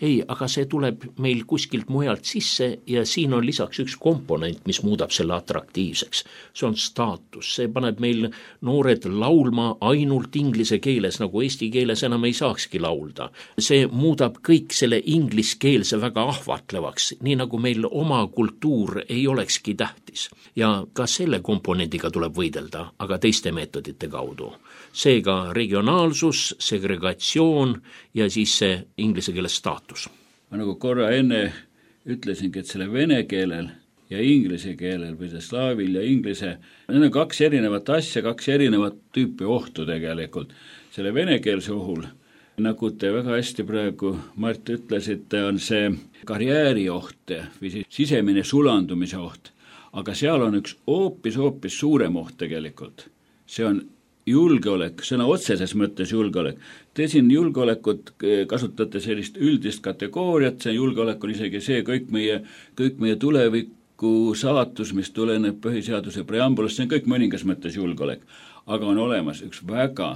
Speaker 2: Ei, aga see tuleb meil kuskilt mujalt sisse ja siin on lisaks üks komponent, mis muudab selle atraktiivseks. See on staatus, see paneb meil noored laulma ainult inglise keeles, nagu eesti keeles enam ei saakski laulda. See muudab kõik selle ingliskeelse väga ahvatlevaks, nii nagu meil oma kultuur ei olekski tähtis. Ja ka selle komponendiga tuleb võidelda, aga teiste meetodite kaudu. Seega regionaalsus, segregatsioon ja siis see inglise keeles staatus.
Speaker 4: Ma nagu korra enne ütlesingi, et selle vene keelel ja inglise keelel või see slaavil ja inglise, need on kaks erinevat asja, kaks erinevat tüüpi ohtu tegelikult. Selle venekeelse ohul, nagu te väga hästi praegu, Mart, ütlesite, on see karjääri oht või sisemine sulandumise oht. Aga seal on üks hoopis, hoopis suurem oht tegelikult. See on julgeolek, sõna otseses mõttes julgeolek. Te siin julgeolekut kasutate sellist üldist kategooriat, see julgeolek on isegi see kõik meie, kõik meie tuleviku saatus, mis tuleneb põhiseaduse preambulast, see on kõik mõningas mõttes julgeolek. Aga on olemas üks väga,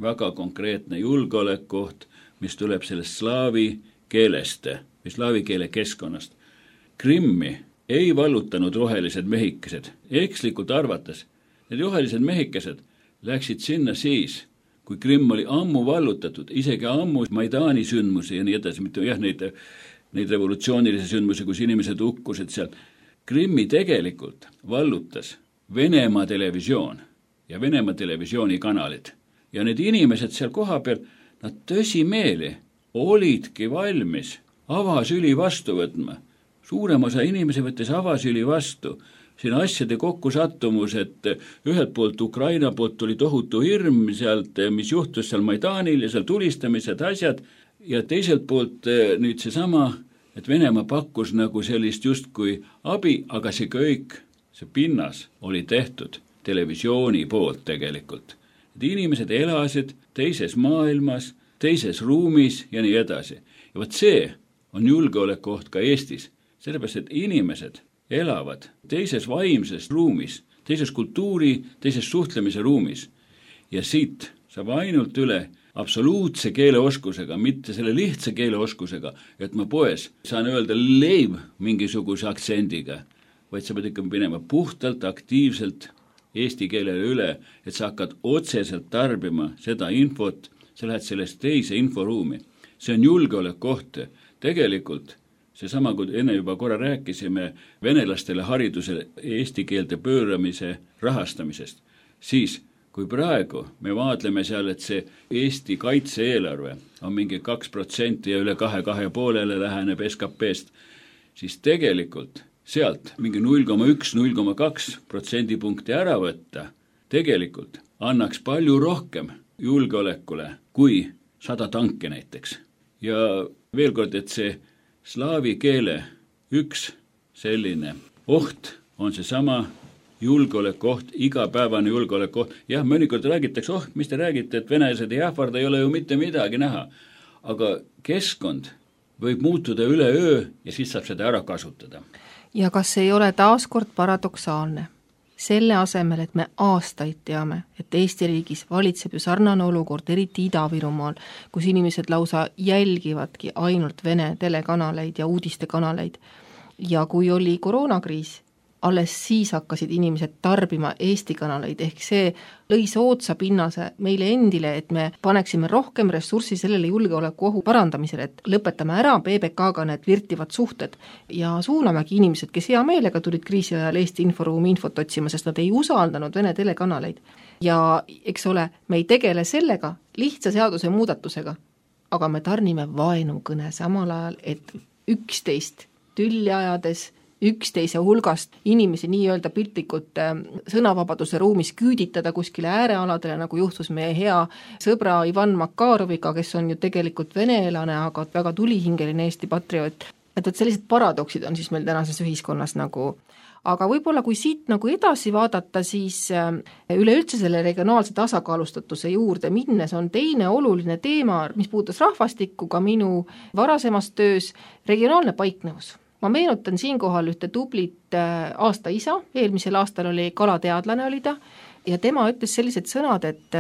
Speaker 4: väga konkreetne julgeolekuoht, mis tuleb sellest slaavi keelest või slaavi keele keskkonnast. Krimmi ei vallutanud rohelised mehikesed, ekslikult arvates. Need rohelised mehikesed läksid sinna siis, kui Krimm oli ammu vallutatud, isegi ammu Maidani sündmusi ja nii edasi, mitte jah, neid, neid revolutsioonilisi sündmusi, kus inimesed ukkusid seal. Krimmi tegelikult vallutas Venemaa televisioon ja Venemaa televisiooni kanalid. Ja need inimesed seal koha peal, nad tõsimeeli olidki valmis avasüli vastu võtma. Suurem osa inimesi võttis avasüli vastu. Siin asjade kokkusattumus, et ühelt poolt Ukraina poolt tuli tohutu hirm sealt, mis juhtus seal Maidanil ja seal tulistamised asjad, ja teiselt poolt nüüd see sama, et Venemaa pakkus nagu sellist justkui abi, aga see kõik, see pinnas oli tehtud televisiooni poolt tegelikult. Et inimesed elasid teises maailmas, teises ruumis ja nii edasi. Ja võt see on julgeolekuoht ka Eestis, sellepärast, et inimesed elavad teises vaimses ruumis, teises kultuuri, teises suhtlemise ruumis. Ja siit saab ainult üle absoluutse keeleoskusega, mitte selle lihtsa keeleoskusega, et ma poes saan öelda leib mingisuguse aktsendiga, vaid sa pead ikka minema puhtalt, aktiivselt eesti keelele üle, et sa hakkad otseselt tarbima seda infot, sa lähed sellest teise inforuumi. See on julgeolekuoht. Tegelikult seesama, kui enne juba korra rääkisime venelastele haridusele eesti keelde pööramise rahastamisest, siis kui praegu me vaadleme seal, et see Eesti kaitse-eelarve on mingi kaks protsenti ja üle kahe, kahe poolele läheneb S K P-st, siis tegelikult sealt mingi null koma üks, null koma kaks protsendipunkti ära võtta, tegelikult annaks palju rohkem julgeolekule kui sada tanke näiteks. Ja veel kord, et see slaavi keele üks selline oht on see sama julgeolekuoht, igapäevane julgeolekuoht. Jah, mõnikord räägitakse, oh, mis te räägite, et venelased ei ähvarda, ei ole ju mitte midagi näha. Aga keskkond võib muutuda üle öö ja siis saab seda ära kasutada.
Speaker 1: Ja kas ei ole taaskord paradoksaalne? Selle asemel, et me aastaid teame, et Eesti riigis valitseb ju sarnane olukord, eriti Ida-Virumaal, kus inimesed lausa jälgivadki ainult Vene telekanaleid ja uudistekanaleid. Ja kui oli koroonakriis, alles siis hakkasid inimesed tarbima Eesti kanaleid, ehk see lõi soodsa pinnase meile endile, et me paneksime rohkem ressurssi sellele julgeolekuohu parandamisele, et lõpetame ära B B K-ga need virtivad suhted ja suunamegi inimesed, kes hea meelega tulid kriisi ajal Eesti inforuumi infot otsima, sest nad ei usaldanud Vene telekanaleid. Ja eks ole, me ei tegele sellega lihtsa seaduse muudatusega, aga me tarnime vaenukõne samal ajal, et üksteist tülli ajades üksteise hulgast inimesi nii-öelda piltlikult sõnavabaduse ruumis küüditada kuskile äärealadele, nagu juhtus meie hea sõbra Ivan Makaroviga, kes on ju tegelikult veneelane, aga väga tulihingeline Eesti patrioot. Et, et sellised paradoksid on siis meil tänases ühiskonnas nagu, aga võib-olla kui siit nagu edasi vaadata, siis üleüldse selle regionaalse tasakaalustatuse juurde minnes on teine oluline teema, mis puudutas rahvastikku ka minu varasemas töös, regionaalne paiknevus. Ma meenutan siinkohal ühte tublit aasta isa, eelmisel aastal oli kalateadlane oli ta, ja tema ütles sellised sõnad, et,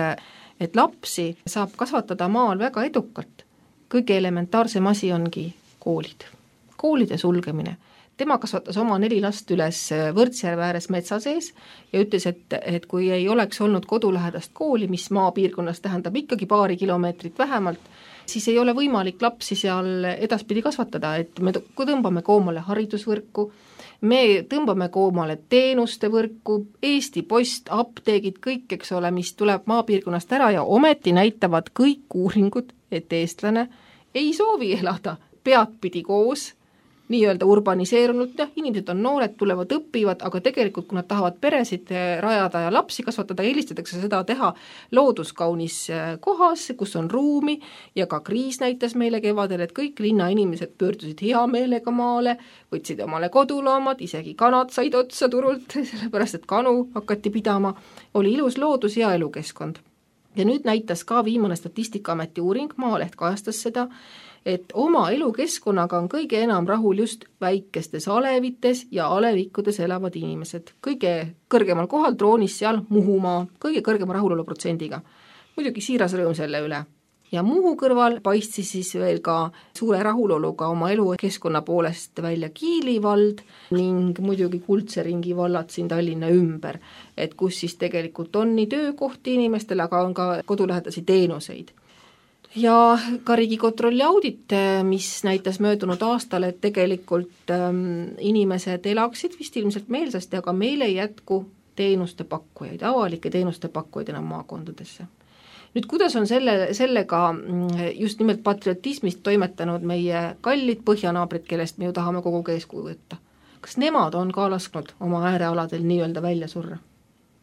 Speaker 1: et lapsi saab kasvatada maal väga edukalt. Kõige elementaarsem asi ongi koolid, koolide sulgemine. Tema kasvatas oma neli last üles Võrtsjärve ääres metsa sees ja ütles, et, et kui ei oleks olnud kodulähedast kooli, mis maapiirkonnas tähendab ikkagi paari kilomeetrit vähemalt, siis ei ole võimalik lapsi seal edaspidi kasvatada, et me tõmbame koomale haridusvõrku, me tõmbame koomale teenuste võrku, Eesti Post, apteegid, kõik, eks ole, mis tuleb maapiirkonnast ära ja ometi näitavad kõik uuringud, et eestlane ei soovi elada peadpidi koos, nii-öelda urbaniseerunud, jah, inimesed on noored, tulevad, õpivad, aga tegelikult, kui nad tahavad peresid rajada ja lapsi kasvatada, eelistatakse seda teha looduskaunis kohas, kus on ruumi ja ka kriis näitas meile kevadel, et kõik linnainimesed pöördusid hea meelega maale, võtsid omale koduloomad, isegi kanad said otsa turult, sellepärast et kanu hakati pidama, oli ilus loodus ja elukeskkond. Ja nüüd näitas ka viimane Statistikaameti uuring, Maaleht kajastas seda, et oma elukeskkonnaga on kõige enam rahul just väikestes alevites ja alevikkudes elavad inimesed. Kõige kõrgemal kohal troonis seal Muhumaa, kõige kõrgema rahulolu protsendiga. Muidugi siiras rõõm selle üle. Ja Muhu kõrval paistis siis veel ka suure rahuloluga oma elukeskkonna poolest välja Kiili vald ning muidugi Kuldse ringi vallad siin Tallinna ümber, et kus siis tegelikult on nii töökohti inimestele, aga on ka kodulähedasi teenuseid. Ja ka Riigikontrolli audit, mis näitas möödunud aastal, et tegelikult ähm, inimesed elaksid vist ilmselt meelsasti, aga meil ei jätku teenuste pakkujaid, avalike teenuste pakkujaid enam maakondadesse. Nüüd, kuidas on selle, sellega just nimelt patriotismist toimetanud meie kallid põhjanaabrid, kellest me ju tahame kogu eeskuju võtta? Kas nemad on ka lasknud oma äärealadel nii-öelda välja surra?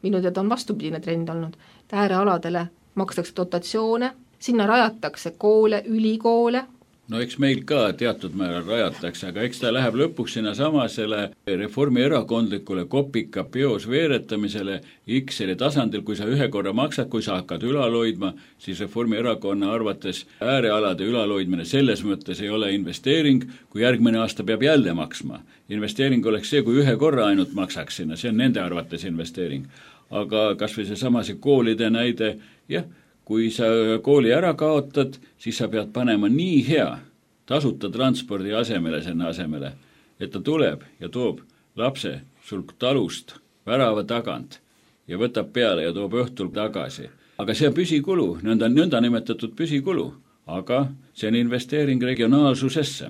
Speaker 1: Minu teada on vastupidine trend olnud. Äärealadele makstakse dotatsioone, sinna rajatakse koole, ülikoole.
Speaker 4: No eks meil ka teatud määral rajatakse, aga eks ta läheb lõpuks sinna samasele reformierakondlikule kopika peos veeretamisele X-eli tasandil, kui sa ühe korra maksad, kui sa hakkad ülaloidma, siis Reformierakonna arvates äärealade ülaloidmine selles mõttes ei ole investeering, kui järgmine aasta peab jälle maksma. Investeering oleks see, kui ühe korra ainult maksaks sinna, see on nende arvates investeering. Aga kas või see samase koolide näide, jah, kui sa kooli ära kaotad, siis sa pead panema nii hea tasuta transpordi asemele sinna asemele, et ta tuleb ja toob lapse sul talust värava tagant ja võtab peale ja toob õhtul tagasi. Aga see on püsikulu, nõnda, nõnda nimetatud püsikulu, aga see on investeering regionaalsusesse.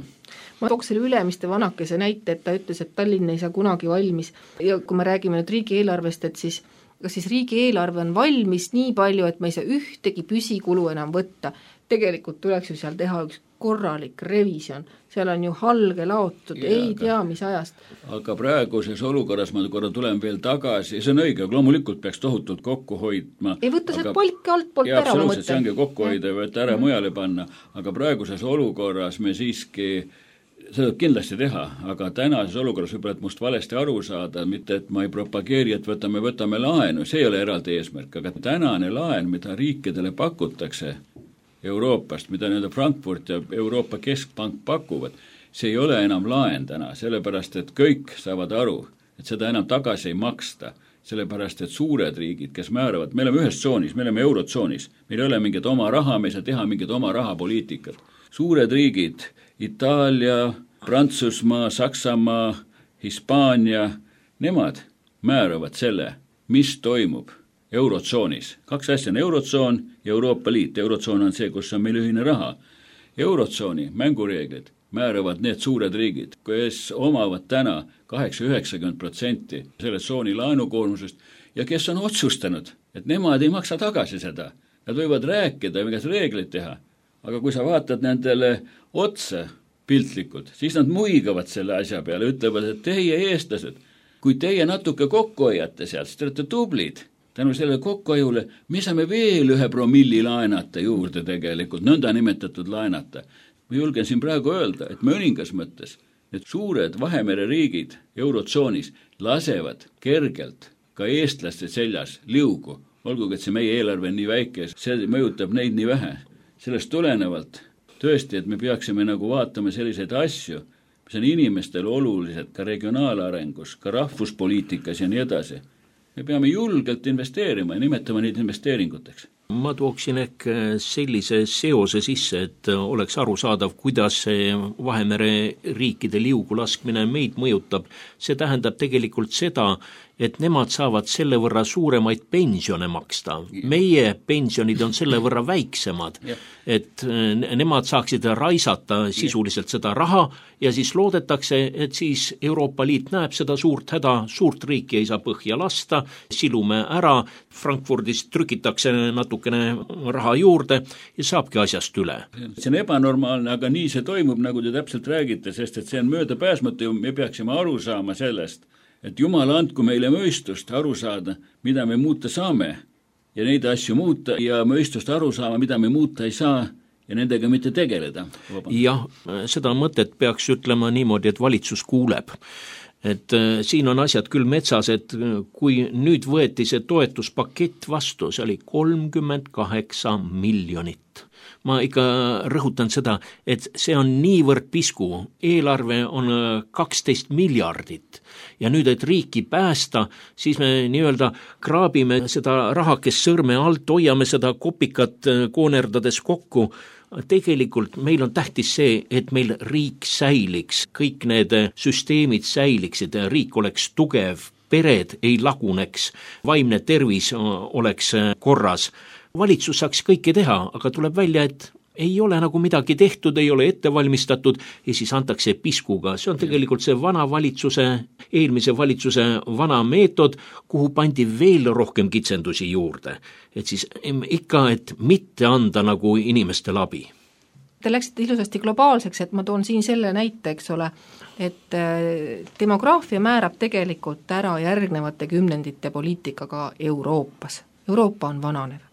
Speaker 1: Ma tooks selle Ülemiste vanakese näite, et ta ütles, et Tallinn ei saa kunagi valmis. Ja kui me räägime nüüd riigieelarvest, et siis kas siis riigieelarve on valmis nii palju, et me ei saa ühtegi püsikulu enam võtta. Tegelikult tuleks ju seal teha üks korralik revision. Seal on ju halge laotud, ja, ei tea mis ajast.
Speaker 4: Aga praeguses olukorras ma korra tulen veel tagasi, see on õige, loomulikult peaks tohutult kokku hoidma.
Speaker 1: Ei võtta see palki alt poolt
Speaker 4: ja,
Speaker 1: ära, ma mõtlen.
Speaker 4: See ongi kokku hoida ja võtta ära mm. mujale panna, aga praeguses olukorras me siiski seda kindlasti teha, aga tänases olukorras võib-olla, et must valesti aru saada, mitte et ma ei propageeri, et võtame, võtame laenu, see ei ole eraldi eesmärk, aga tänane laen, mida riikidele pakutakse Euroopast, mida nii-öelda Frankfurt ja Euroopa Keskpank pakuvad, see ei ole enam laen täna, sellepärast et kõik saavad aru, et seda enam tagasi ei maksta, sellepärast et suured riigid, kes määravad, me oleme ühes tsoonis, me oleme eurotsoonis, meil ei ole mingit oma raha, me ei saa teha mingit oma rahapoliitikat. Suured riigid, Itaalia, Prantsusmaa, Saksamaa, Hispaania, nemad määravad selle, mis toimub eurotsoonis. Kaks asja on eurotsoon ja Euroopa Liit. Eurotsoon on see, kus on meil ühine raha. Eurotsooni mängureeglid määravad need suured riigid, kes omavad täna kaheksa üheksakümmend protsenti selle tsooni laenukoormusest ja kes on otsustanud, et nemad ei maksa tagasi seda. Nad võivad rääkida ja mingeid reegleid teha, aga kui sa vaatad nendele otsa piltlikult, siis nad muigavad selle asja peale, ütlevad, et teie eestlased, kui teie natuke kokku hoiate sealt, siis te olete tublid. Tänu sellele kokkuhoiule me saame veel ühe promilli laenata juurde tegelikult, nõnda nimetatud laenata. Ma julgen siin praegu öelda, et mõningas mõttes need suured Vahemere riigid eurotsoonis lasevad kergelt ka eestlaste seljas liugu, olgugi et see meie eelarve on nii väike, see mõjutab neid nii vähe. Sellest tulenevalt tõesti, et me peaksime nagu vaatama selliseid asju, mis on inimestele olulised ka regionaalarengus, ka rahvuspoliitikas ja nii edasi. Me peame julgelt investeerima ja nimetama neid investeeringuteks.
Speaker 2: Ma tooksin ehk sellise seose sisse, et oleks arusaadav, kuidas see Vahemere riikide liugu laskmine meid mõjutab. See tähendab tegelikult seda, et nemad saavad selle võrra suuremaid pensione maksta. Meie pensionid on selle võrra väiksemad, et nemad saaksid raisata sisuliselt seda raha ja siis loodetakse, et siis Euroopa Liit näeb seda suurt häda, suurt riiki ei saa põhja lasta, silume ära, Frankfurdis trükitakse natukene raha juurde ja saabki asjast üle.
Speaker 4: See on ebanormaalne, aga nii see toimub, nagu te täpselt räägite, sest et see on möödapääsmatu ja me peaksime aru saama sellest, et Jumal andku meile mõistust aru saada, mida me muuta saame ja neid asju muuta ja mõistust aru saama, mida me muuta ei saa ja nendega mitte tegeleda.
Speaker 2: Jah, seda mõtet peaks ütlema niimoodi, et valitsus kuuleb. Et äh, siin on asjad küll metsas, et kui nüüd võeti see toetuspakett vastu, see oli kolmkümmend kaheksa miljonit. Ma ikka rõhutan seda, et see on niivõrd pisku, eelarve on kaksteist miljardit ja nüüd, et riiki päästa, siis me nii-öelda kraabime seda rahakest sõrme alt, hoiame seda kopikat koonerdades kokku. Tegelikult meil on tähtis see, et meil riik säiliks, kõik need süsteemid säiliksid, riik oleks tugev, pered ei laguneks, vaimne tervis oleks korras. Valitsus saaks kõike teha, aga tuleb välja, et ei ole nagu midagi tehtud, ei ole ette valmistatud ja siis antakse piskuga. See on tegelikult see vana valitsuse, eelmise valitsuse vana meetod, kuhu pandi veel rohkem kitsendusi juurde. Et siis ikka, et mitte anda nagu inimestele abi.
Speaker 1: Te läksite ilusasti globaalseks, et ma toon siin selle näite, eks ole, et demograafia määrab tegelikult ära järgnevate kümnendite poliitikaga Euroopas. Euroopa on vananev.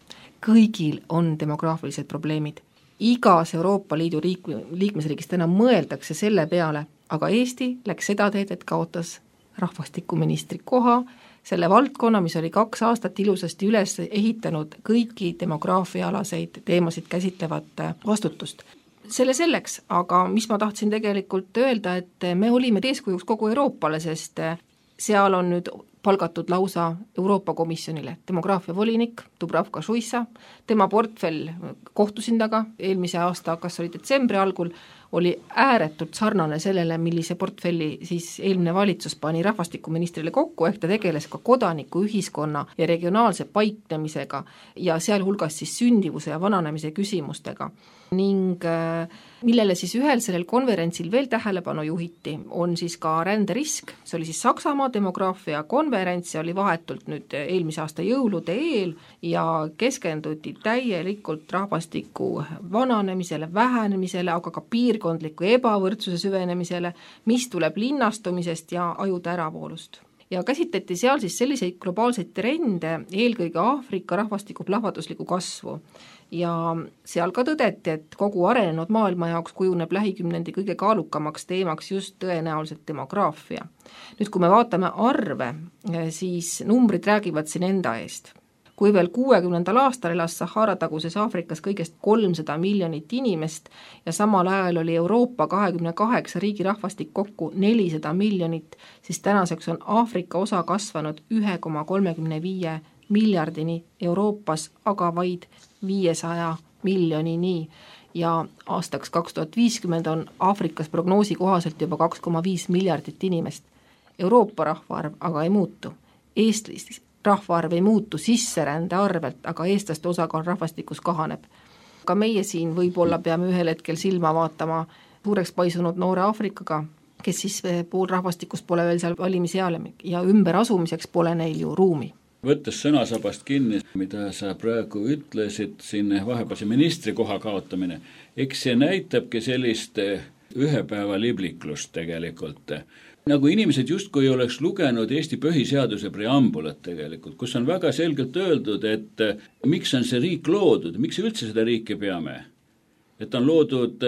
Speaker 1: Kõigil on demograafilised probleemid. Igas Euroopa Liidu liik- liikmesriigist enam mõeldakse selle peale, aga Eesti läks seda teed, et kaotas rahvastikuministri koha, selle valdkonna, mis oli kaks aastat ilusasti üles ehitanud kõiki demograafiaalaseid teemasid käsitlevat vastutust. Selle selleks, aga mis ma tahtsin tegelikult öelda, et me olime eeskujuks kogu Euroopale, sest seal on nüüd palgatud lausa Euroopa Komisjonile demograafia volinik Dubravka Šuica, tema portfell kohtusin taga eelmise aasta, kas oli detsembri algul, oli ääretult sarnane sellele, millise portfelli siis eelmine valitsus pani rahvastikuministrile kokku, ehk ta tegeles ka kodaniku, ühiskonna ja regionaalse paiknemisega ja sealhulgas siis sündivuse ja vananemise küsimustega. Ning millele siis ühel sellel konverentsil veel tähelepanu juhiti, on siis ka ränderisk, see oli siis Saksamaa demograafia konverents ja oli vahetult nüüd eelmise aasta jõulude eel ja keskenduti täielikult rahvastiku vananemisele, vähenemisele, aga ka piirkondliku ebavõrdsuse süvenemisele, mis tuleb linnastumisest ja ajude äravoolust. Ja käsitleti seal siis selliseid globaalseid trende, eelkõige Aafrika rahvastiku plahvatuslikku kasvu. Ja seal ka tõdeti, et kogu arenenud maailma jaoks kujuneb lähikümnendi kõige kaalukamaks teemaks just tõenäoliselt demograafia. Nüüd, kui me vaatame arve, siis numbrid räägivad siin enda eest. Kui veel kuuekümnendal aastal elas Sahara taguses Aafrikas kõigest kolmsada miljonit inimest ja samal ajal oli Euroopa kahekümne kaheksa riigi rahvastik kokku nelisada miljonit, siis tänaseks on Aafrika osa kasvanud üks koma kolmekümne viis miljardini Euroopas, aga vaid viiesaja miljonini ja aastaks kaks tuhat viiskümmend on Aafrikas prognoosi kohaselt juba kaks koma viis miljardit inimest. Euroopa rahvaarv aga ei muutu. Eestis rahvaarv ei muutu sisserände arvelt, aga eestlaste osakaal rahvastikus kahaneb. Ka meie siin võib-olla peame ühel hetkel silma vaatama suureks paisunud noore Aafrikaga, kes siis pool rahvastikust pole veel seal valimiseale ja ümber asumiseks pole neil ju ruumi.
Speaker 4: Võttes sõnasabast kinni, mida sa praegu ütlesid, siin vahepealse ministri koha kaotamine, eks see näitabki sellist ühe päeva libliklust tegelikult. Nagu inimesed justkui oleks lugenud Eesti põhiseaduse preambulat tegelikult, kus on väga selgelt öeldud, et miks on see riik loodud, miks üldse seda riiki peame. Et on loodud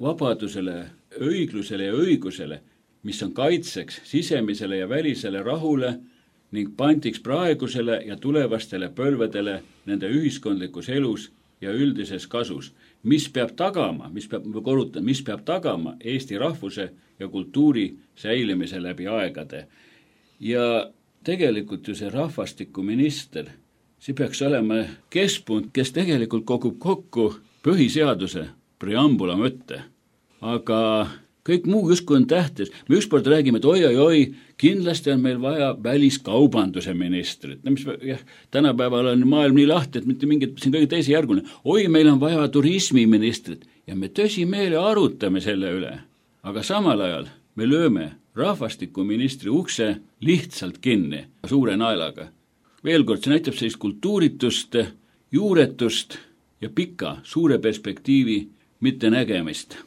Speaker 4: vabadusele, õiglusele ja õigusele, mis on kaitseks sisemisele ja välisele rahule ning pandiks praegusele ja tulevastele põlvedele nende ühiskondlikus elus ja üldises kasus, mis peab tagama, mis peab, korrutan, mis peab tagama Eesti rahvuse ja kultuuri säilimise läbi aegade. Ja tegelikult ju see rahvastikuminister, see peaks olema keskpunkt, kes tegelikult kogub kokku põhiseaduse preambula mõtte. Aga kõik muu justkui on tähtis. Me ükskord räägime, et oi, oi, oi, kindlasti on meil vaja väliskaubanduse ministrit. No, mis, jah, tänapäeval on maailm nii lahti, et mitte mingit, siin kõige teise järgune. Oi, meil on vaja turismiministrit ja me tõsimeele arutame selle üle. Aga samal ajal me lööme rahvastikuministri ukse lihtsalt kinni suure naelaga. Veel kord, see näitab sellist kultuuritust, juuretust ja pika, suure perspektiivi mitte nägemist.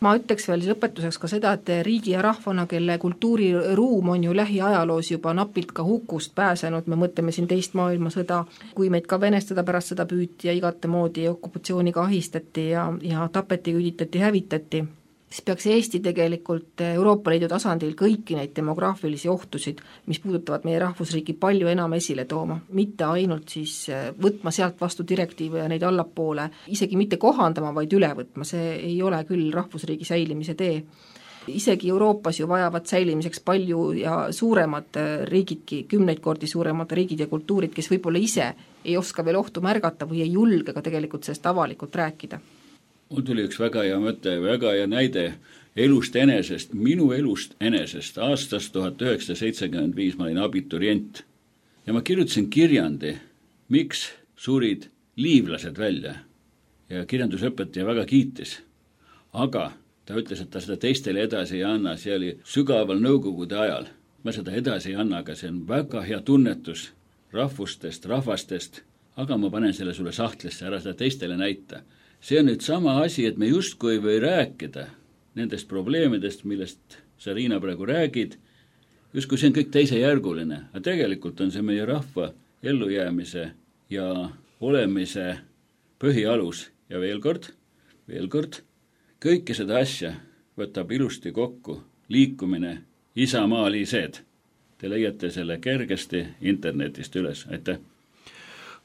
Speaker 1: Ma ütleks veel lõpetuseks ka seda, et riigi ja rahvana, kelle kultuuriruum on ju lähiajaloos juba napilt ka hukust pääsenud, me mõtleme siin teist maailmasõda, kui meid ka venestada pärast seda püüti ja igate moodi okupatsiooniga ahistati ja, ja tapeti, küüditati, hävitati, siis peaks Eesti tegelikult Euroopa Liidu tasandil kõiki neid demograafilisi ohtusid, mis puudutavad meie rahvusriigi palju enam esile tooma, mitte ainult siis võtma sealt vastu direktiive ja neid allapoole, isegi mitte kohandama, vaid üle võtma, see ei ole küll rahvusriigi säilimise tee. Isegi Euroopas ju vajavad säilimiseks palju ja suuremad riigidki, kümneid kordi suuremad riigid ja kultuurid, kes võib-olla ise ei oska veel ohtu märgata või ei julge ka tegelikult sellest avalikult rääkida.
Speaker 4: Mul tuli üks väga hea mõte, väga hea näide elust enesest, minu elust enesest. Aastast tuhat üheksasada seitsekümmend viis ma olin abiturient ja ma kirjutasin kirjandi, miks surid liivlased välja. Ja kirjandusõpetaja väga kiitis. Aga ta ütles, et ta seda teistele edasi ei anna, see oli sügaval nõukogude ajal. Ma seda edasi ei anna, aga see on väga hea tunnetus rahvustest, rahvastest, aga ma panen selle sulle sahtlisse, ära seda teistele näita. See on nüüd sama asi, et me justkui ei või rääkida nendest probleemidest, millest sa, Riina, praegu räägid, justkui see on kõik teisejärguline, aga tegelikult on see meie rahva ellujäämise ja olemise põhialus. Ja veel kord, veel kord, kõike seda asja võtab ilusti kokku liikumine Isamaalised. Te leiate selle kergesti internetist üles. Aitäh!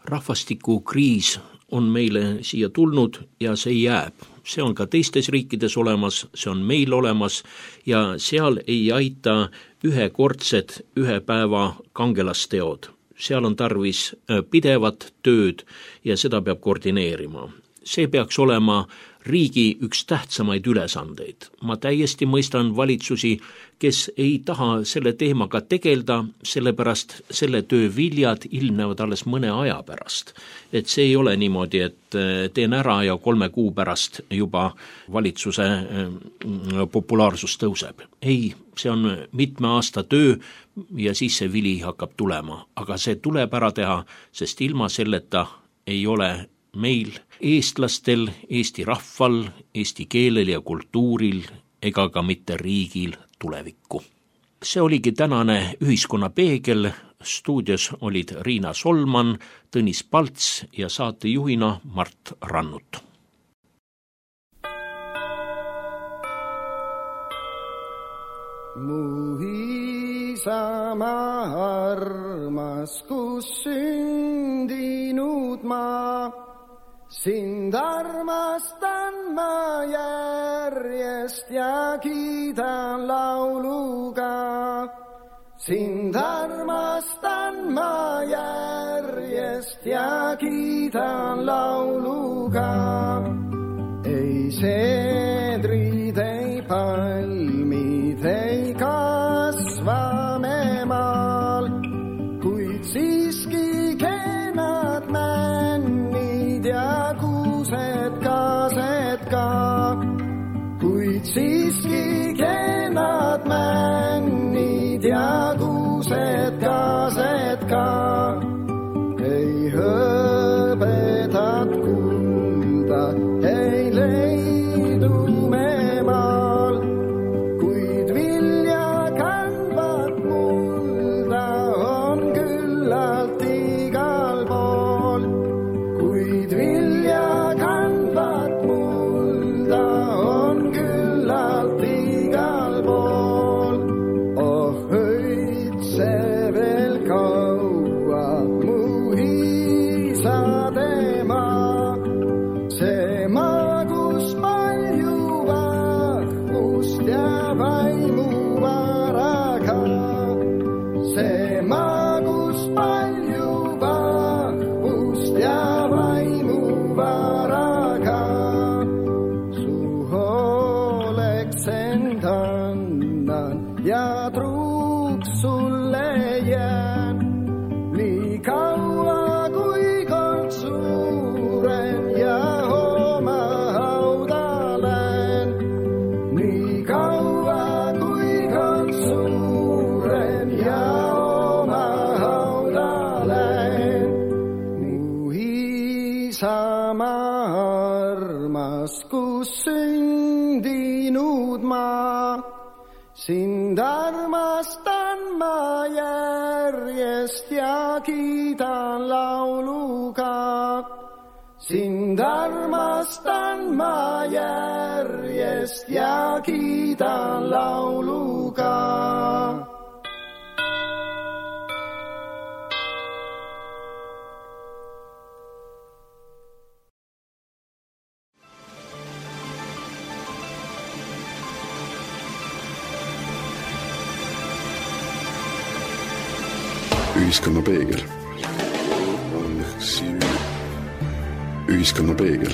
Speaker 2: Rahvastikukriis on meile siia tulnud ja see jääb. See on ka teistes riikides olemas, see on meil olemas ja seal ei aita ühekordsed ühe päeva kangelasteod. Seal on tarvis pidevat tööd ja seda peab koordineerima. See peaks olema riigi üks tähtsamaid ülesandeid. Ma täiesti mõistan valitsusi, kes ei taha selle teemaga tegelda, sellepärast selle töö viljad ilmnevad alles mõne aja pärast. Et see ei ole niimoodi, et teen ära ja kolme kuu pärast juba valitsuse populaarsus tõuseb. Ei, see on mitme aasta töö ja siis see vili hakkab tulema. Aga see tuleb ära teha, sest ilma selleta ei ole meil, eestlastel, Eesti rahval, eesti keelel ja kultuuril ega ka mitte riigil tulevikku. See oligi tänane ühiskonna peegel. Stuudios olid Riina Solman, Tõnis Palts ja saatejuhina Mart Rannut.
Speaker 3: Mu isamaa armas, kus sündinud ma, sind armastan ma järjest ja kiidan lauluga. Sind armastan ma järjest ja kiidan lauluga. Ei seedrid, ei palmid, ei kasva siiski kennad männid ja kuused kaased ka. Ei hõbedat kulda, ei leidu me maal, kuid vilja kandvat mulda on küllalt igal pool. Kuid vilja kandvat mulda on küllalt igal pool. Oh, öitse veel kaua mu hiisade maa, see maa, kus palju vahvust ja vaimu varaga. See maa, kus palju vahvust ja vaimu varaga. Su hooleks end annan ja truuks sulle jään, nii kaua kui kord suuren ja oma hauda lähen. Nii kaua kui kord suuren ja oma hauda lähen. Mu isamaa armas, kus sündinud maa, sind armastan ma järjest ja kiidan lauluga. Sind armastan ma järjest ja kiidan lauluga.
Speaker 5: Ühiskonna peegel. Ühiskonna peegel